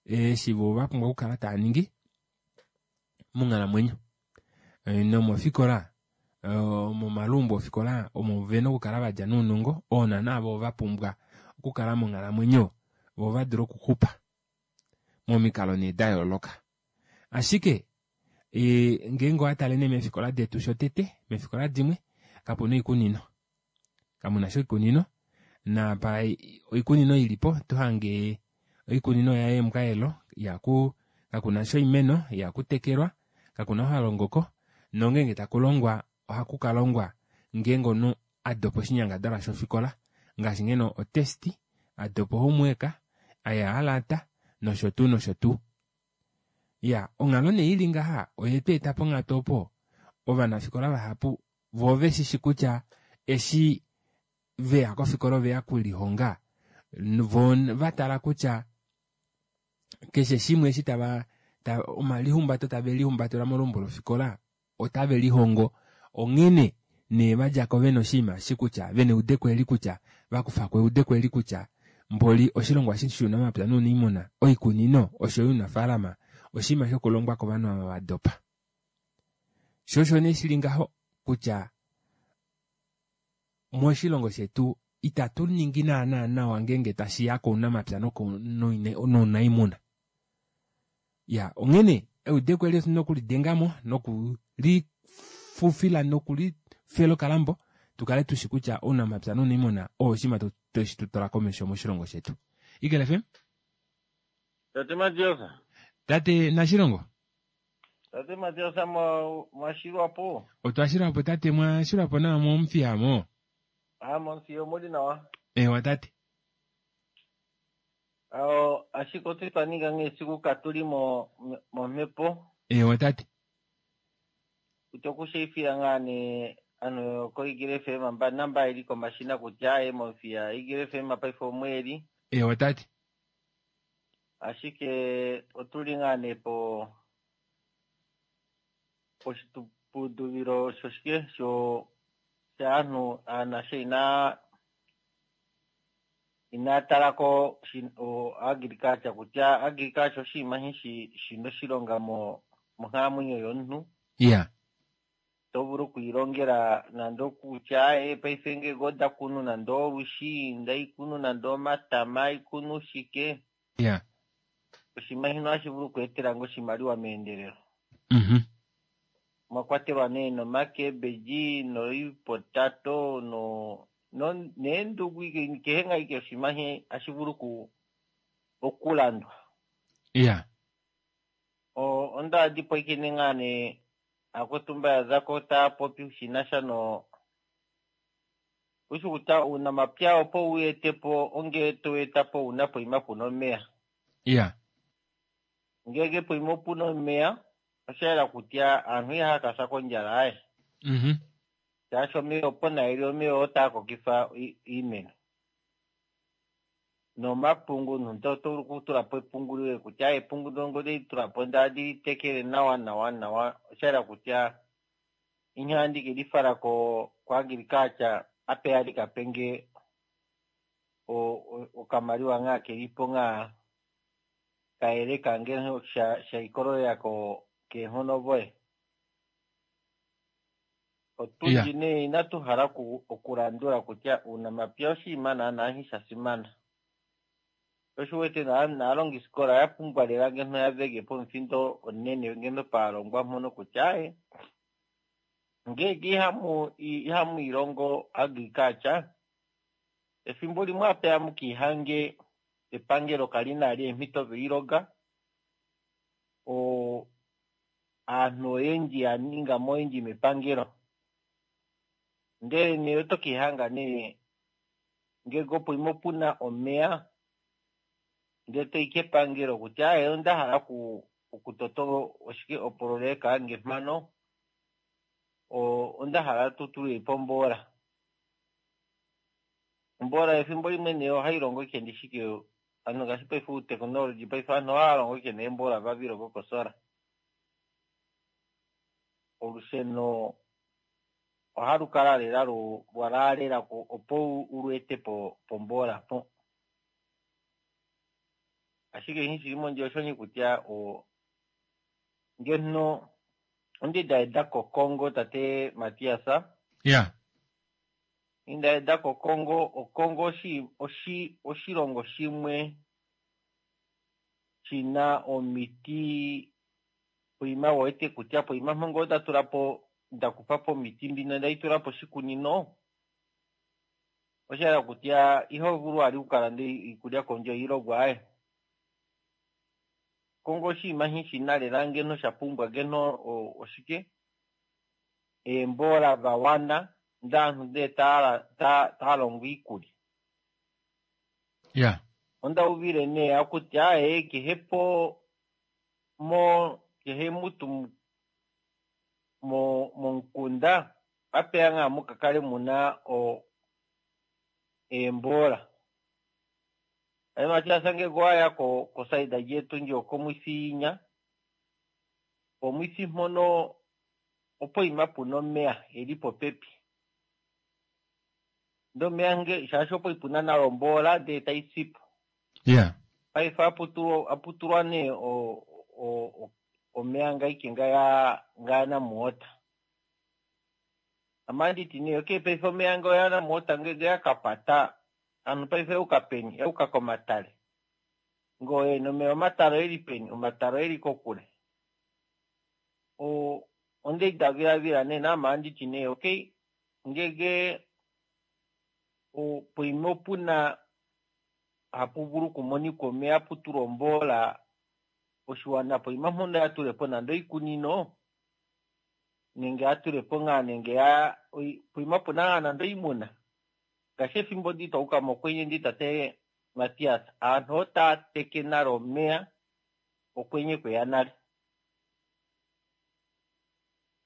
eshi vo vapumbwa okukala tava ningi monghalamwenyo. E, nomofikola momalumbo ofikola omo vena okukala vadja nounongo oo naana vo vapumbwa okukala monghalamwenyo vo vadule okuxupa momikalo nee da yooloka. Ashike e, ngeenge owatale nee meefikola detu shotete meefikola dimwe kapuna oikunino kamuna sha oikunino napa oikunino ilipo tohange oikunino yaye emukayelo ihaku kakuna sha oimeno ihakutekelwa kakuna ou halongoko nongeenge takulongwa ohaku kalongwa ngeenge omunhu adopa oshinyangadalwa shofikola ngaashi ngeno otesti adopa homework aya alata nosho tuu nosho tuu. Ya onghalo nee ili ngaha oyetu eta ponghatu opo ovanafikola vahapu vo veshishi kutya eshi veya kofikola oveya okulihonga vo vatala kutya keshe shimwe eshi tava ta, omalihumbato tave lihumbatela molumbo lofikola otave lihongo onghene nee vadjako vena oshinima eshi kutya vena eudeko eli kutya vakufako eudeko eli kutya mboli oshilongwa eshi shuunamapya nuuniimuna oikunino osho yo ounafaalama oshinima shokulongwa kovanhu ava vadopa. Sho osho nee shili ngaho kutya moshilongo shetu itatu ningi naana nawa ngeenge tashiya kounamapya nounaimuna. Ya onghene eudeko eli otuna okulidengamo nokulifufila nokulifela okalambo tukale tushi kutya ounamapya nouniimuna oo oshinima teshi tutwala komesho moshilongo shetu. Eagle F M? Tate Matias. Tate Nashilongo. Tate Matias mwashilwapo. Otwashilwapo tate mwashilwapo nawa momufiyamo. Ah, momufiyamo omuli nawa. Ewa tate. Ao ashike otu twa ninga nghee esiku katuli mo momhepo Ewa tate. Kutya okushiifila ngaa nee ano ko Eagle F M mba namba ili komashina kutya aye mofiya Eagle F M paife omweli. Ewa tate. Ashike otuli ngaa nee po poshitupudulilo shoshike sho shaanhu aanasha ina ina talako o agriculture kutya agriculture oshinima shi shina oshilonga mo monkalamwenyo yomuntu. Yeah. To vulu okwiilongela nande okutya e paife ngeke onda kunu nande olwishi, ndaikunu nande omatama, ikunu shike. Yeah. Oshinima shino ohashi vulu okweetela ngo oshimaliwa meendelelo. Mhm. Mwa kwatelwa nee nomakebeji, noipotato, no no neendugu kehe ngaa ike oshinima hashi vulu oku okulandwa. Yeah. O onda dipwikine ngaa nee akutumba ya zako taa popi shinasha no ushi kutya uunamapya opo wu etepo onge to etapo una poima puna omeya. Yeah. Ngeke poima puna omeya osha yela kutya aantu ihaya kasa kondjala aye. Mhm. Shaashi omeya opo naili omeya otaa kokifa iimeno. Nomapungu omuntu oto vulu okutula po epungu lyoye kutya epungu ndongo li tula po ndali tekele nawa nawa nawa osha yela kutya ihandi ke li fala ko ko agriculture ape ali kapenge o okamaliwa ngaa kelipo ngaa kayeleka ngeno sha sha ikololela ko keenghono voye. Otundi nee inatu hala okulandula kutya uunamapya oshinima naana sha simana. Oshiwete naalongisikola ya pumbwa lela ngeno ya vege pomufindo onene ngeno paalongwa mpono kutya aye ngeke ihamu ihamu ilongo agriculture efimbo limwe ape amukiihange epangelo kali nali eemhito dhoilonga o aantu oyendji ya ninga mo oyendji mepangelo ndele nee oto kiihanga nee ngeke opo imo puna omeya ndele toyi kepangelo kutya aye onda hala okutota oshike opololeka yange mpano onda hala tu tule po ombola. Ombola efimbo limwe nee ohayi longo ike ndishike ano ngaashi paife uutekinology paife aantu ohaya longo ike neembola vavilongo kosola. Olusheno ohalu kala lela lwa laalela opo ulu ete po pombola po. Ashike shi shili mondjila osho kutya o ngeno ondidaeda koKongo tate Matias. Yeah. Indaeda koKongo, oKongo oshi oshi oshilongo shimwe shina omiti poima wete kutya poima mpongo nda tula po nda kufa po omiti mbino ndayi tula po oshikunino osha hala kutya iho vulu ali okukalanda iikulya kondje iilogwa aye. Kongo oshinima shi shina lela ngeno sha pumbwa ngeno oshike eembola dha wana ndaantu ndee taa longo iikulya. Yeah. Onda uvile nee akutya aye kehe po mo kehe mutu mo momukunda apeya ngaa mukakale muna o eembola. Aye Matias ngeke waya ko kosaida yetu ndji okomwisinya pomwisi mpono opo ima puna omeya eli popepi. Ndee omeya nge shaashi opo ipuna nalo ombola ndee tayi sipo. Yeah. Paife aputulwa nee o o omeya ngaike ngaya ngaya namuota. Amanditi nee okay paife omeya ngaya namuota ngege yakapata ano paife euka peni euka komatale. Ngoye nomeya omatale eli peni omatale eli kokule. O onde davilavila nee namanditi nee okay ngege o poima opuna hapu vulu okumonika omeya putulwa ombola oshiwana poima mpono ya tulepo nande oikunino nenge ya tulepo ngaa nenge ya poima puna ngaa nande oimuna. Ngaashi efimbo ndi twauka mokwenye ndi tate Matias, aantu otaa teke nale omeya okwenye kweya nale.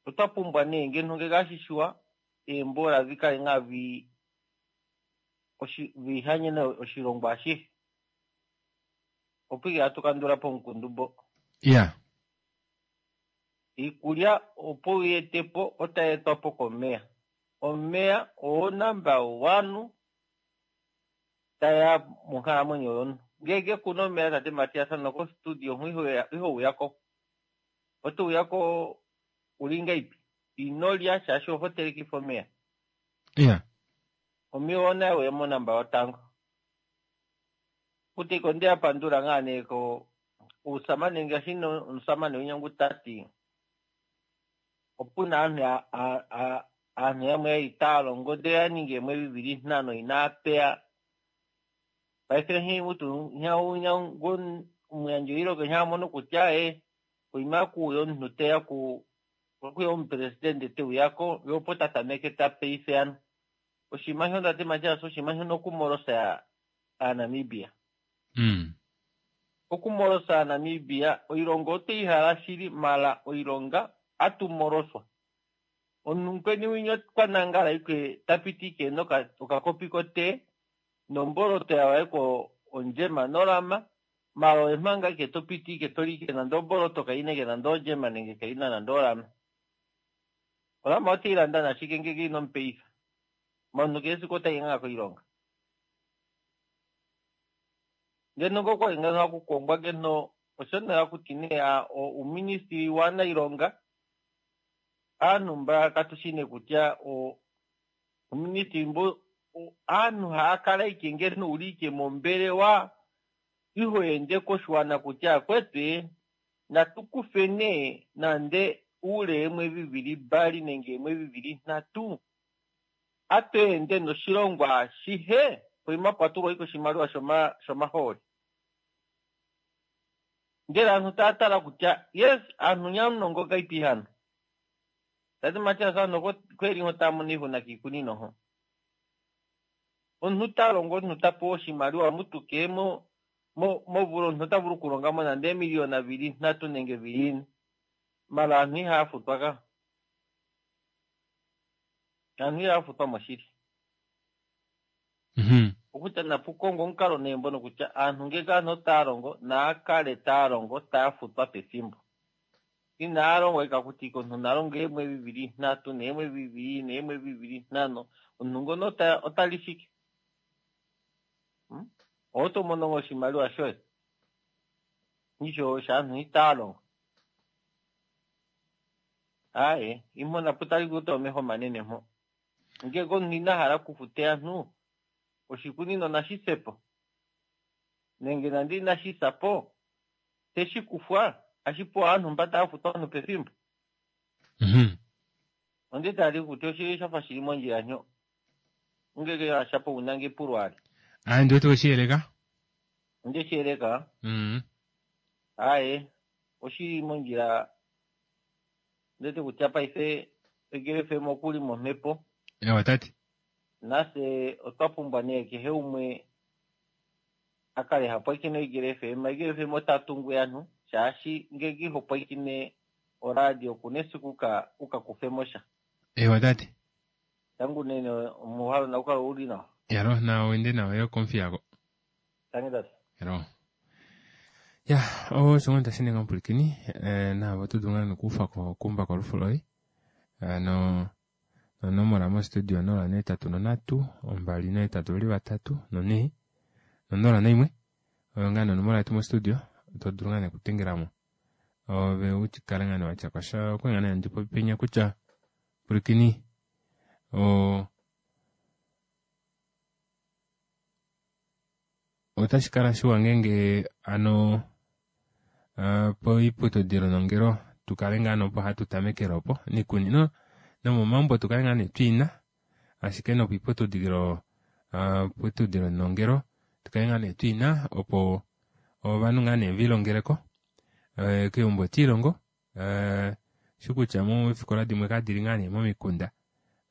Otwa pumbwa nee ngeno ngeke ashishiwa eembola vikale ngaa vi oshi vihanyene oshilongo ashihe. Opo ike hatu kandula po omukundu mbo. Ya. Iikulya opo uyi etepo otayi etwa po komeya. Omeya oo number one taya monkalamwenyo yomuntu. Ngeke kuna omeya tate Matias noko studio iho uya ko. Oto uya ko uli ngaipi? Ino lya shaashi oho telekifa omeya. Ya. Omeya ona uya monamba yotango. Kuti ko ndeya pandula ngaa nee ko uusamane ngaashi omusamane winyangu tati opuna aantu aantu yamwe itaya longo ndele ya ningi eemwedhi dhili ntano inaya peya. Paife nhi mutu omuyandji wiilonga shampa mono kutya e poima kuuya omuntu teya ku kuya omupresidente teuya ko ye opo ta tameke ta peife ano. Oshinima shono tate Matias oshinima shono okumolosa aaNamibia. Mm. Okumolosa aaNamibia oilonga otweyi hala shili mala oilonga atumoloswa. Omuntu mukweni winya kwa nangala ike tapiti ike noka okakopi kote nomboloto yawaeko ondjema nolama mala oye manga ike topiti ike toli ike nande omboloto kaina ike nande ondjema nenge kaina nande olama. Olama oteyi landa nashike ngeke ino mupeifa. Omuntu kehe esiku otayi ngaa koilonga. Ngeno ngokwali ngeno hakukongwa ngeno osho nee hakuti nee uuministili waanailonga aantu mba katushi nee kutya uuministili mbo aantu haya kala ike ngeno uli ike mombelewa iho ende koshiwana kutya kwetu natu kufe nee nande uule weemwedhi dhili mbali nenge eemwedhi dhili nhatu atu ende noshilongo ashihe poima pwatulwa ike oshimaliwa shoma shomahooli. Ndele aantu taya tala kutya yes aantu nyamunongo kaipi hano. Tate Matias aantu kweli ho taya mono iihuna kiikunino ho. Omuntu ta longo omuntu ta pewa oshimaliwa mutuke mo mo movula omuntu ota vulu okulonga mo nande eemiliyona dhili nhatu nenge dhili ine. Mala aantu ihaya futwa ka. Aantu ihaya futwa moshili. Mm-hmm. Okutya napu kongwe omukalo nee mbono kutya aantu ngeke aantu otaya longo naya kale taya longo taya futwa pethimbo. Inaya longwa ika kuti omuntu na longe eemwedhi dhili nhatu neemwedhi dhili ine neemwedhi dhili ntano omuntu ngono ota li shike? Oto mono oshimaliwa shoye. Nisho shaantu itaya longo. Aye, imho napu tali kuta omeho manene mpo. Ngeke omuntu ina hala okufuta aantu oshikunino nashi se po. Nenge nande inashi sa po, teshi kufwa ashi pewa aantu mba taya futwa aantu pethimbo. Mm-hmm. Onde tali kuti oshili shafa shili mondjila nyo. Ngeke ashapo unange pulwali. Aye, ndiwete weshiyeleka? Ndeshiyeleka? Mm. Aye, oshili mondjila ndete kutya paife Eagle F M okuli momhepo. Ewa tati. Nase otwa pumbwa nee kehe umwe a kale ha pwiikine Eagle F M. Eagle F M ota tungu aantu shaashi ngeke iho pwiikine oradio kuna esiku uka, uka kufe mo sha. Ewa tati. Tangu nene omuhalo na ukalo uli nawa. Yalo na wende nawa yo konfi yako. Tangi tati. Yalo. Ya, osho ngoo tashininga omupulikini, eh, naavo to dulu ngaa nokuufa ko kumba kolufu loye. Eh, no, nonomola mostudio nola neetatu nonhatu, ombali neetatu veli vatatu, nonhee, nonola naimwe. Oyo ngaa nonomola yetu mostudio, to dulu ngaa nekutengelamo. Ove utikale ngaa newatya kwasha, okwe ngaa nee handi penya kutya pulikini, o, otashi kala shiwa ngeenge ano, uh, poiputudilo nongelo tukale ngaa nopo hatu tamekele opo niikunino nomomambo tukale ngaa nee twiina ashike nopoiputudilo, uh, putudilo nongelo tukale ngaa nee twiina opo ovanhu ngaa nee vilongeleko, uh, keumbo tiilongo, uh, shikutya moofikola dimwe kadili ngaa nee momikunda,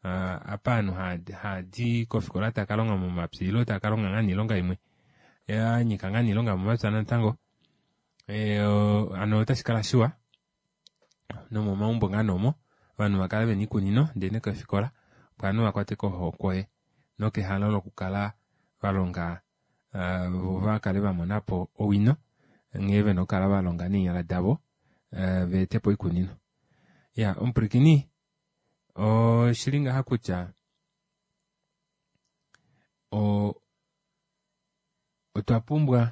uh, apa aanhu haadi kofikola takalonga momapya ilo takalonga ngaa niilonga imwe. Ya nyika ngaa niilonga yomomapya natango. Eh, ano otashi kala shiwa nomomaumbo ngaa nomo ovanhu va kale vena iikunino ndee nekeefikola opo ovanhu vakwate kohokwe nokehalo lokukala valonga uh, vo vakale vamonapo owino nghee vena okukala valonga neenyala davo uh, veetepo oikunino. Ya omupwilikini oshili ngaha kutya o otwa pumbwa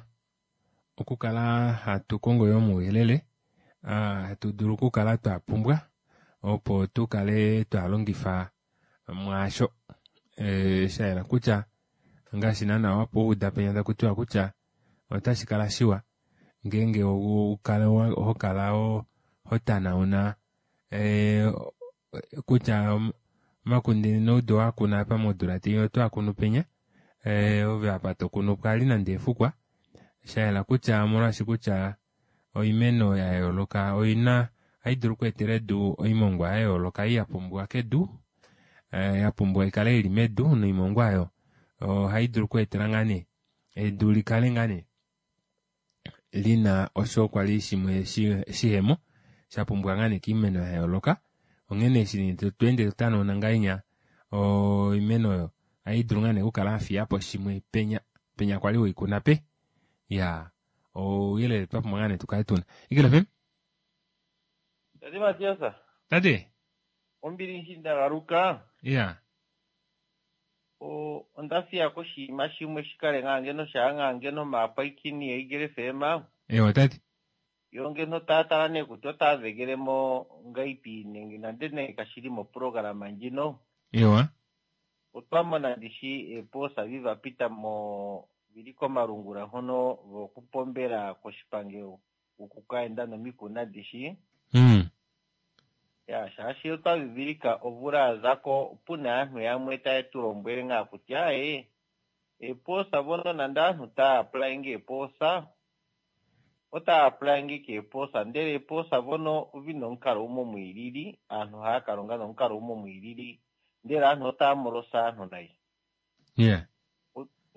okukala hatu kongo yoo omauyelele uh, hatu dulu okukala twa pumbwa opo tukale twalongifa mwaasho e, shayela kutya ngaashi naana wapo uda penya takutiwa kutya otashi kala shiwa ngeenge ukale ho kala ho tanauna e, kutya omakunde noudo wakuna apa modula tei otwaakunu penya e, ove apa tokunu pwali nande efukwa shayela kutya omolwaashi kutya oimeno ya yooloka oina ohayi dulu okweetela edu oimongwa ya yooloka ei ya pumbiwa kedu eh, ya pumbiwa ikale ili medu noimongwa oyo ohayi dulu okweetela ngaa nee edu likale ngaa nee lina osho kwali shimwe shihemo sha pumbiwa ngaa nee kiimeno ya yooloka. Onghene eshi tweende totanauna ngahenya oimeno oyo ohayi dulu ngaa nee okukala yafiyapo shimwe penya penya kwali weikuna pe ya ouyelele twapumbwa ngaa nee tukale tuna. Eagle F M. Tate Matias. Tate. Ombili nshi ndagaluka. Ya. O onda fiya koshinima shimwe shikale ngaa ngeno shaa ngaa ngeno maapwaikini yaEagle F M. Ewa tate. Yo ngeno taya tala nee kutya otaya dhegele mo ngaipi nenge nande nee kashili moprograma ndjino. Ewa. Otwa mona ndishi eepoosa viva pita mo vili komalungula hono vokupombela koshipangelo okukaenda nomikunda ndishi. Mm. Ya shaashi otwa vivilika ovula ya zako puna aantu yamwe taye tu lombwele ngaa kutya ee eepoosa vono nande aantu taya applyinge eepoosa otaya applyinge keepoosa ndele eepoosa vono ovina omukalo umwe omwiilili aantu haya kalonga nomukalo umwe omwiilili ndele aantu otaya molosa aantu nayi. Yeah.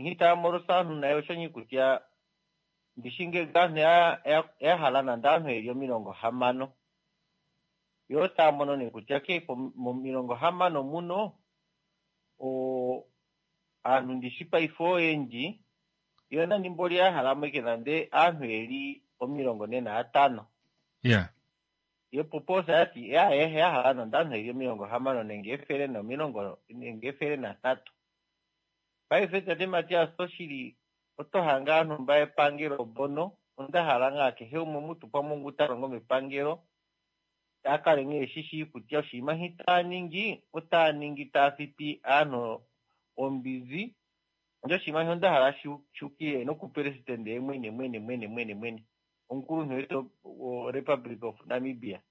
Nghi taya molosa aantu nayi oshonyi kutya ndishi ngenge aantu ya hala nande aantu yeli omilongo hamano yo taya mono nee kutya ke momilongo hamano muno o aantu ndishi paife oyendji yo nani mboli ya hala mweke nande aantu yeli omilongo ne naatano. Yeah. Yo poposa yati ya ya hala nande aantu yeli omilongo hamano nenge efele nomilongo nenge efele natatu. Paife tate Matias oshili oto hanga aantu mba epangelo bono onda hala ngaa kehe umwe mutu pamwe ngu ta longo mepangelo akale ngee shishi kutya oshinima hi taa ningi otaa ningi taa fipi aantu ombizi ndjo oshinima sho onda hala shukile nokupresidente ye mwene mwene mwene mwene mwene omukuluntu wetu wo Republic of Namibia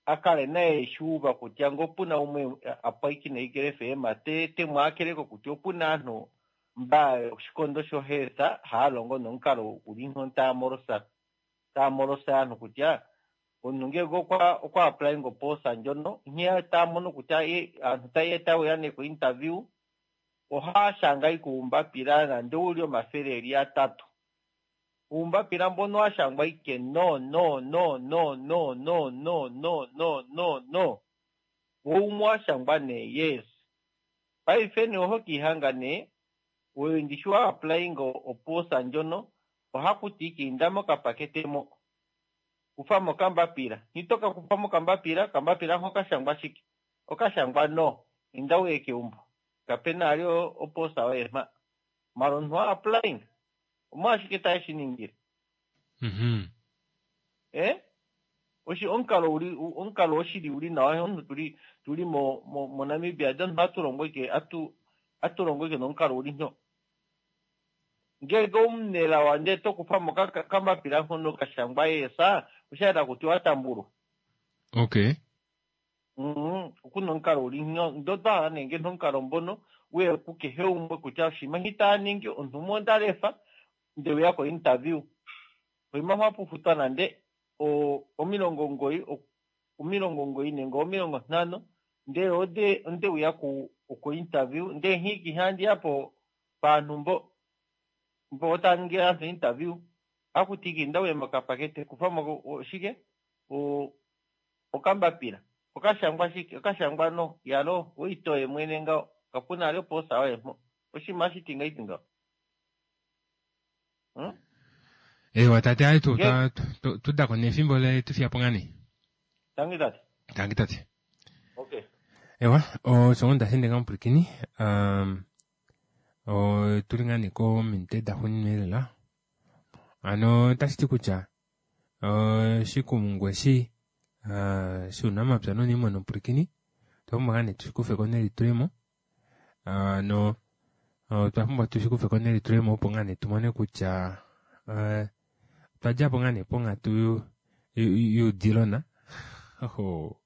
akale naye shuuva kutya ngo puna umwe apwaikine Eagle F M te te mwaakeleko kutya opuna aantu mba oshikondo shohealth haya longo nomukalo guli nko taya molosa taya molosa aantu kutya omuntu ngele okwa okwa applying opoosa ndjono nkene taya mono kutya aantu taye taye ya nee ko interview ohaya shanga ikuumbapila nande uli omathele eli atatu. Uumbapila mbono wa shangwa ike no no no no no no no no no no no wo umwe wa shangwa nee yes. Paife nee oho kiihanga nee oyo ndishi wa applying opoosa ndjono ohakuti ike inda mokapakete mo kufa mokambapila nitoka kufa mokambapila kambapila hoka shangwa shike okashangwa no inda uye keumbo kapena ali opoosa yoye mpa mala omuntu wa applying omolwashike taye shi ningile. Mm-hmm. Eh oshi omukalo uli omukalo oshili uli nawa omuntu tuli tuli mo mo, mo Namibia omuntu atu ike atu atu longo ike nomukalo uli nyo ngele omunelawa ndele tokufa mo kambapila hono kashangwa yesa oshaela kuti watambulwa. Okay. Mm okuna omukalo uli nyo ndo twahala nenge nomukalo mbono uye kukehe umwe kutya oshinima hi taya ningi omuntu umwe onda lefa ndele uya ko interview oima mwa nande o omilongo ngoyi omilongo ngoyi nenge omilongo ntano ndele ode onde uya ku ko interview ndele nhiki handi yapo paantu mbo Mpo otaningi aantu interview akuti kinda uye mokapakete kufamo shike o okambapila okashangwa shike okashangwa no yalo oitoye mwene ngao kapuna ali oposa oye mpo oshinima shiti ngaiti ngao hmm? Ewa tate ayi tu tu tudako nefimbo le tufiyapo ngani. Tangi tate. Tangi tate. Okay. Ewa osho ngo ndashende ngamupwilikini um, otuli ngaa nee kominute daxuuninwa lela ano otashi ti kutya oshikumungu eshi shuunamapya nouniimuna omupwilikini otwa pumbwa ngaa nee tushikufeko nelitulemo ano otwa pumbwa tushikufeko nelitulemo opo ngaa nee tumone kutya otwa djapo ngaa nee ponghatu youdilona oho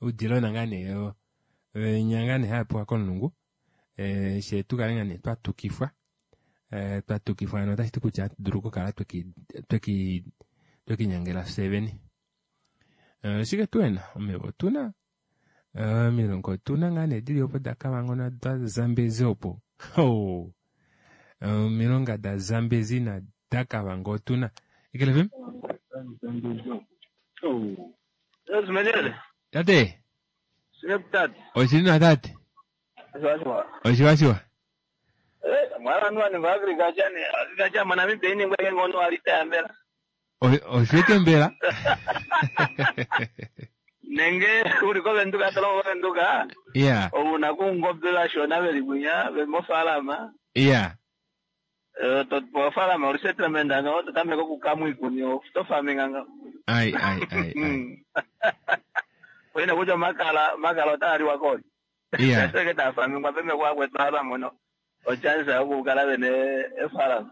oudilona ngaa nee nya ngaa nee hapewa komulungu she tukale ngaa nee twatukifwa twatukifwa ano otashi ti kutya ohatu dulu okukala tweki twekinyangela fye vene. Shike tuena omeva otuna omilonga otuna ngaa nee dili opo daKavango nodaZambezi opo omilonga daZambezi nadaKavango otuna. Eagle F M? Tate oshili nawa tate oshiwashiwa oshiwete mbela nenge uli kovenduka tolongo kovenduka yeah ouna kungombe vashona veli kwinya veli mofaalama yeah ofaalama oli settlement ano totameka okukamwa iikuni oto farming nga ai ai ai ai oyina kutya omakala omakala otaa liwa koli yeah seke taa farmingwa pemeko akwetu mono ochance yokukala vene efaalama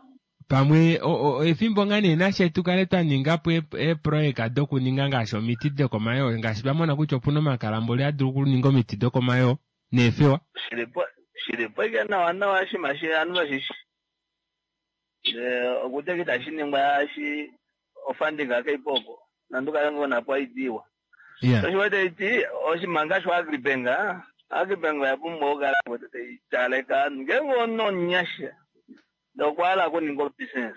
pamwe efimbo ngaa nee nashe tukale twa ninga po eeprojeka dokuninga ngaashi omiti dokomayoo ngaashi twamona kutya opuna omakala mboli adulu okuninga omiti dokomayoo neefewa shilipo shilipo ike nawa nawa shima shi anu vashishi okutya itashi ningwa shi ofunding akaipo opo nandukale ngonapo aidiwa yeah oshiwete iti oshimanga sho Agribank Agribank oya pumbwa okukala taitaleka ngenge ononyasha ndokwala okuninga obusiness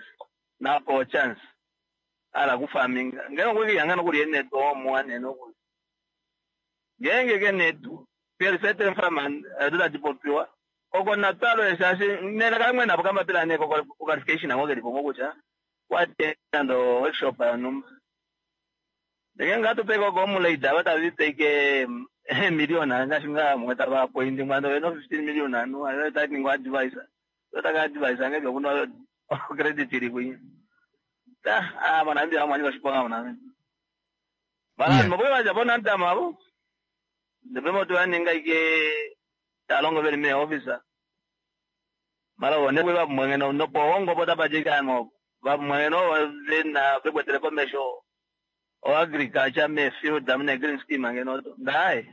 napo chance ala kufarminga ngenge okwikiyanga nokuli enetu omuwa nene okuli ngenge ke netu perisetten farmer edu tadipopiwa oko natwalo eshashi nene kamwe napo kambapila neko qualification ango kelipo ngokutya watenda workshop yonumba ndenge ngatupeka oko omulaida vatavipeke million ngaashi nga mwe tava point mwando veno fifteen million anu ayo taninga advisor otaka advisor ngeke kuna credit iri kwinya ta ah manambi amwani vashiponga manambi mara mboye vaja ntama avo ndepemo tuvaninga ike talongo veli me officer mara vone kwe vamwengeno nopo hongo potapajikano vamwengeno vena vekwetele komesho o agriculture me field amne green scheme ngeno ndai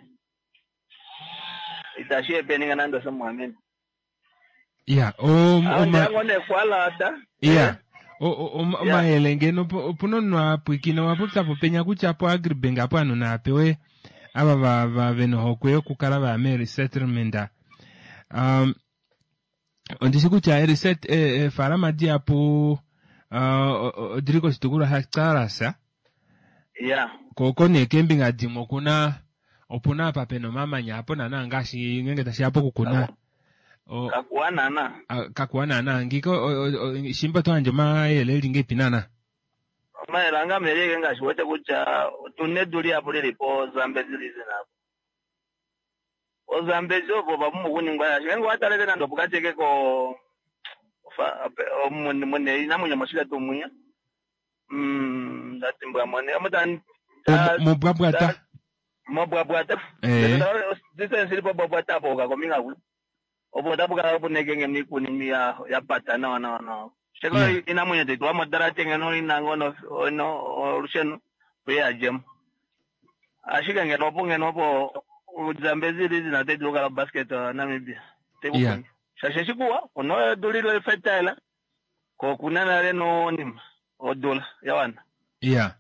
itashi epeninga nando somwamini yeah o ngone kwalata yeah omayele ngeno opuna omunhu apwikina owapopya popenya kutya po Agribank apo ovanhu naapewe ava va vena ohokwe yokukala vaya meresettlement um ondishi kutya ereset eefalama dihapu odili koshitukulwa shaCarasa yeah ko nee keembinga dimwe okuna opuna apa pena omamanya apo naana ngaashi ngenge tashiya pokukuna kakuwa naana kakuwa naana ngiko shimba toyandje omayele eli ngeipi naana omayele anga meleke ngaashi wete kutya otuna edu lihapu lili po Zambezi region apo oZambezi opo papumbwa okuningwa yasho ngenge watalele nande opukateke ko mune inamwenyo moshika tumwiya mm ndatimbwa mone omuta mobwabwata mobwabwata distance ilipo bwabwata apo ukakominga ku opo tapukala punekenge mikuni ya yapata nawa nawa nawa sheko inamwenyo tetwa modarate ngeno inango no no olusheno kuyajemo ashike ngeno opo ngeno opo Zambezi region ate dulukala basket Namibia yeah shashe shikuwa ono dulilo fertile ko kuna nale no nima odula yawana yeah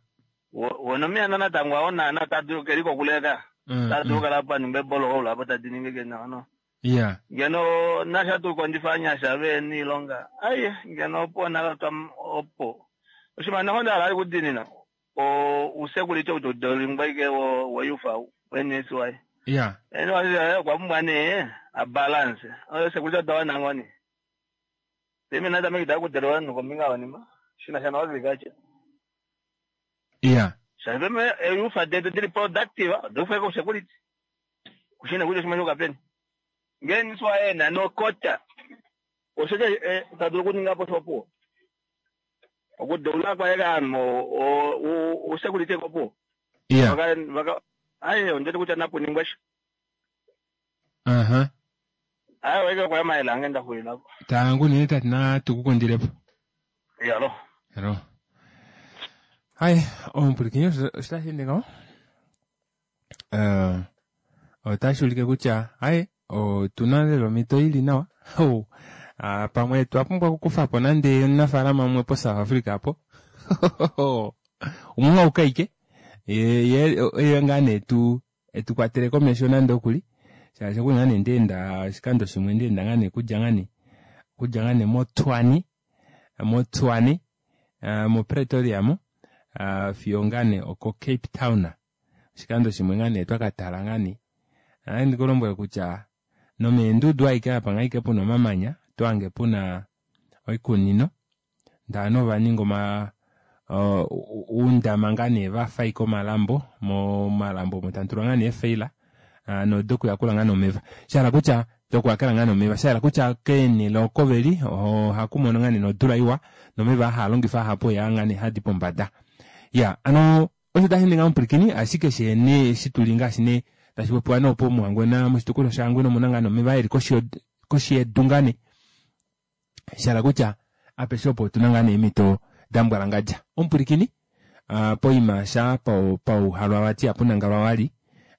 wono miana natango aona na tadu keliko kuleka tadu kala pa nimbe bolo ola pa tadininge ke no Ya. Ngeno nasha tu kondjifa anyasha ve niilonga aye ngeno opo nalotwa opo oshinima noho nda hala kudinina o usecurity ou todolingwa ike wo woyufa we-N S Y. Ya. Eno okwa pumbwa nee a balance oyo security odawa nangoni peme natameke takudelewa vanhu kombinga yonima shina sha no-agriculture. Ya. Shapeme eyufa detu dili productive odofeka usecurity kushina kucho shima shokapeni ngeni swaena nokota oshoke tadulu kuninga po shopo okudeula kwaye kanhu usecurity kopo. Ya. Vaka vaka aye ondeti kutya napuningwa sho. Aha. Aye weke kwaya mayela ange ndaxulilako. Tangu nene tati natukukundilepo. Yalo. Hello. Hai, omupwilikini osho tashi ende ngaho. Eh, otashi ulike kutya hai otuna lela omhito ili nawa. Oh, ah, pamwe twa pumbwa okukufa po nande omunafaalama umwe po South Africa apo. Umwe aukaike. Ye ye ye ngaa nee tu etu kwatele komesho nande okuli. Shaashi okuli ngaa nee ndeenda oshikando shimwe ndeenda ngaa nee kudja ngaa nee kudja ngaa nee moTshwane moTshwane uh, moPretoria mo uh, fiyo ngaa nee oko Cape Town. Oshikando shimwe ngaa nee twakatala ngaa nee. Ohandi ndikulombwele kutya nomeendudu aike apa ngaike puna omamanya twange puna oikunino ndee ovaninga oma uh, uundama ngaa nee vafa ike omalambo momalambo omo tamutulwa ngaa nee eefaila uh, nodokuyakula ngaa nee omeva shahala kutya dokuyakela ngaa nee omeva shahala kutya keenele oko veli ohaku mono ngaa nee nodula iwa nomeva haalongifa ahapu yaa ngaa nee hadi pombada. Ya ano osho tashi ninga omupwilikini ashike shene shituli ngaashi nee tashi popiwa noopo muHangwena moshitukulwa shaHangwena omuna ngaa nee omeva eli koshi yedu ngaa nee shahala kutya apeshe opo otuna ngaa nee eemhito dambwalangadja. Omupwilikini uh, poima sha pauhalwa vati apunangalwa wali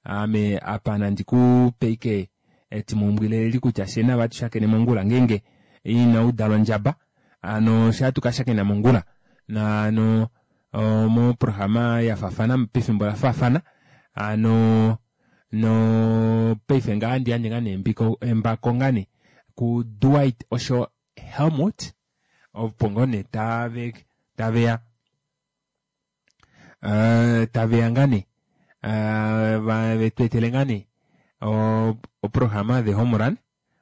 ame apa nandi kupe ike etimaumbwile eli kutya fye navo atushakene mongula ngeenge ina udalwa ondjaba ano fye atukashakena mongula naano moprograma yafaafana pefimbo lafaafana ano no paife ngaa handi yandje ngaa nee embako ngaa nee ku Dwight osho Helmut opo ngoo nee tave taveya uh, taveya ngaa nee uh, vetweetele ngaa nee oprograma The Home Run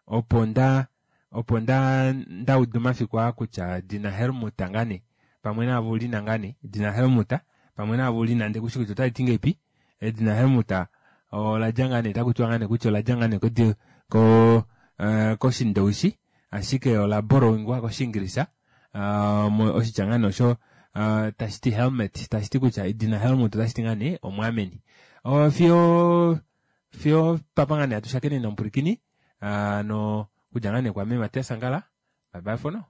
opo nda opo nda ndauda omafiku aa kutya dina Helmut ngaa nee pamwe naavo ulina ngaa nee dina Helmut pamwe naavo ulina ndekushi kutya otaliti ngeipi edina Helmut oladja ngaa nee takutiwa ngaa nee kutya oladja ngaa nee ko ko uh, koshindoushi ashike ola borrowingwa koshiingilisa uh, oshitya ngaa nee osho uh, tashiti helmet tashiti kutya edina Helmut otashiti ngaa nee omwaameni. Uh, fiyo fiyo papa ngaa nee atushakene nomupwilikini uh, no kudja ngaa nee kwame Matias Angala. Bye bye for now.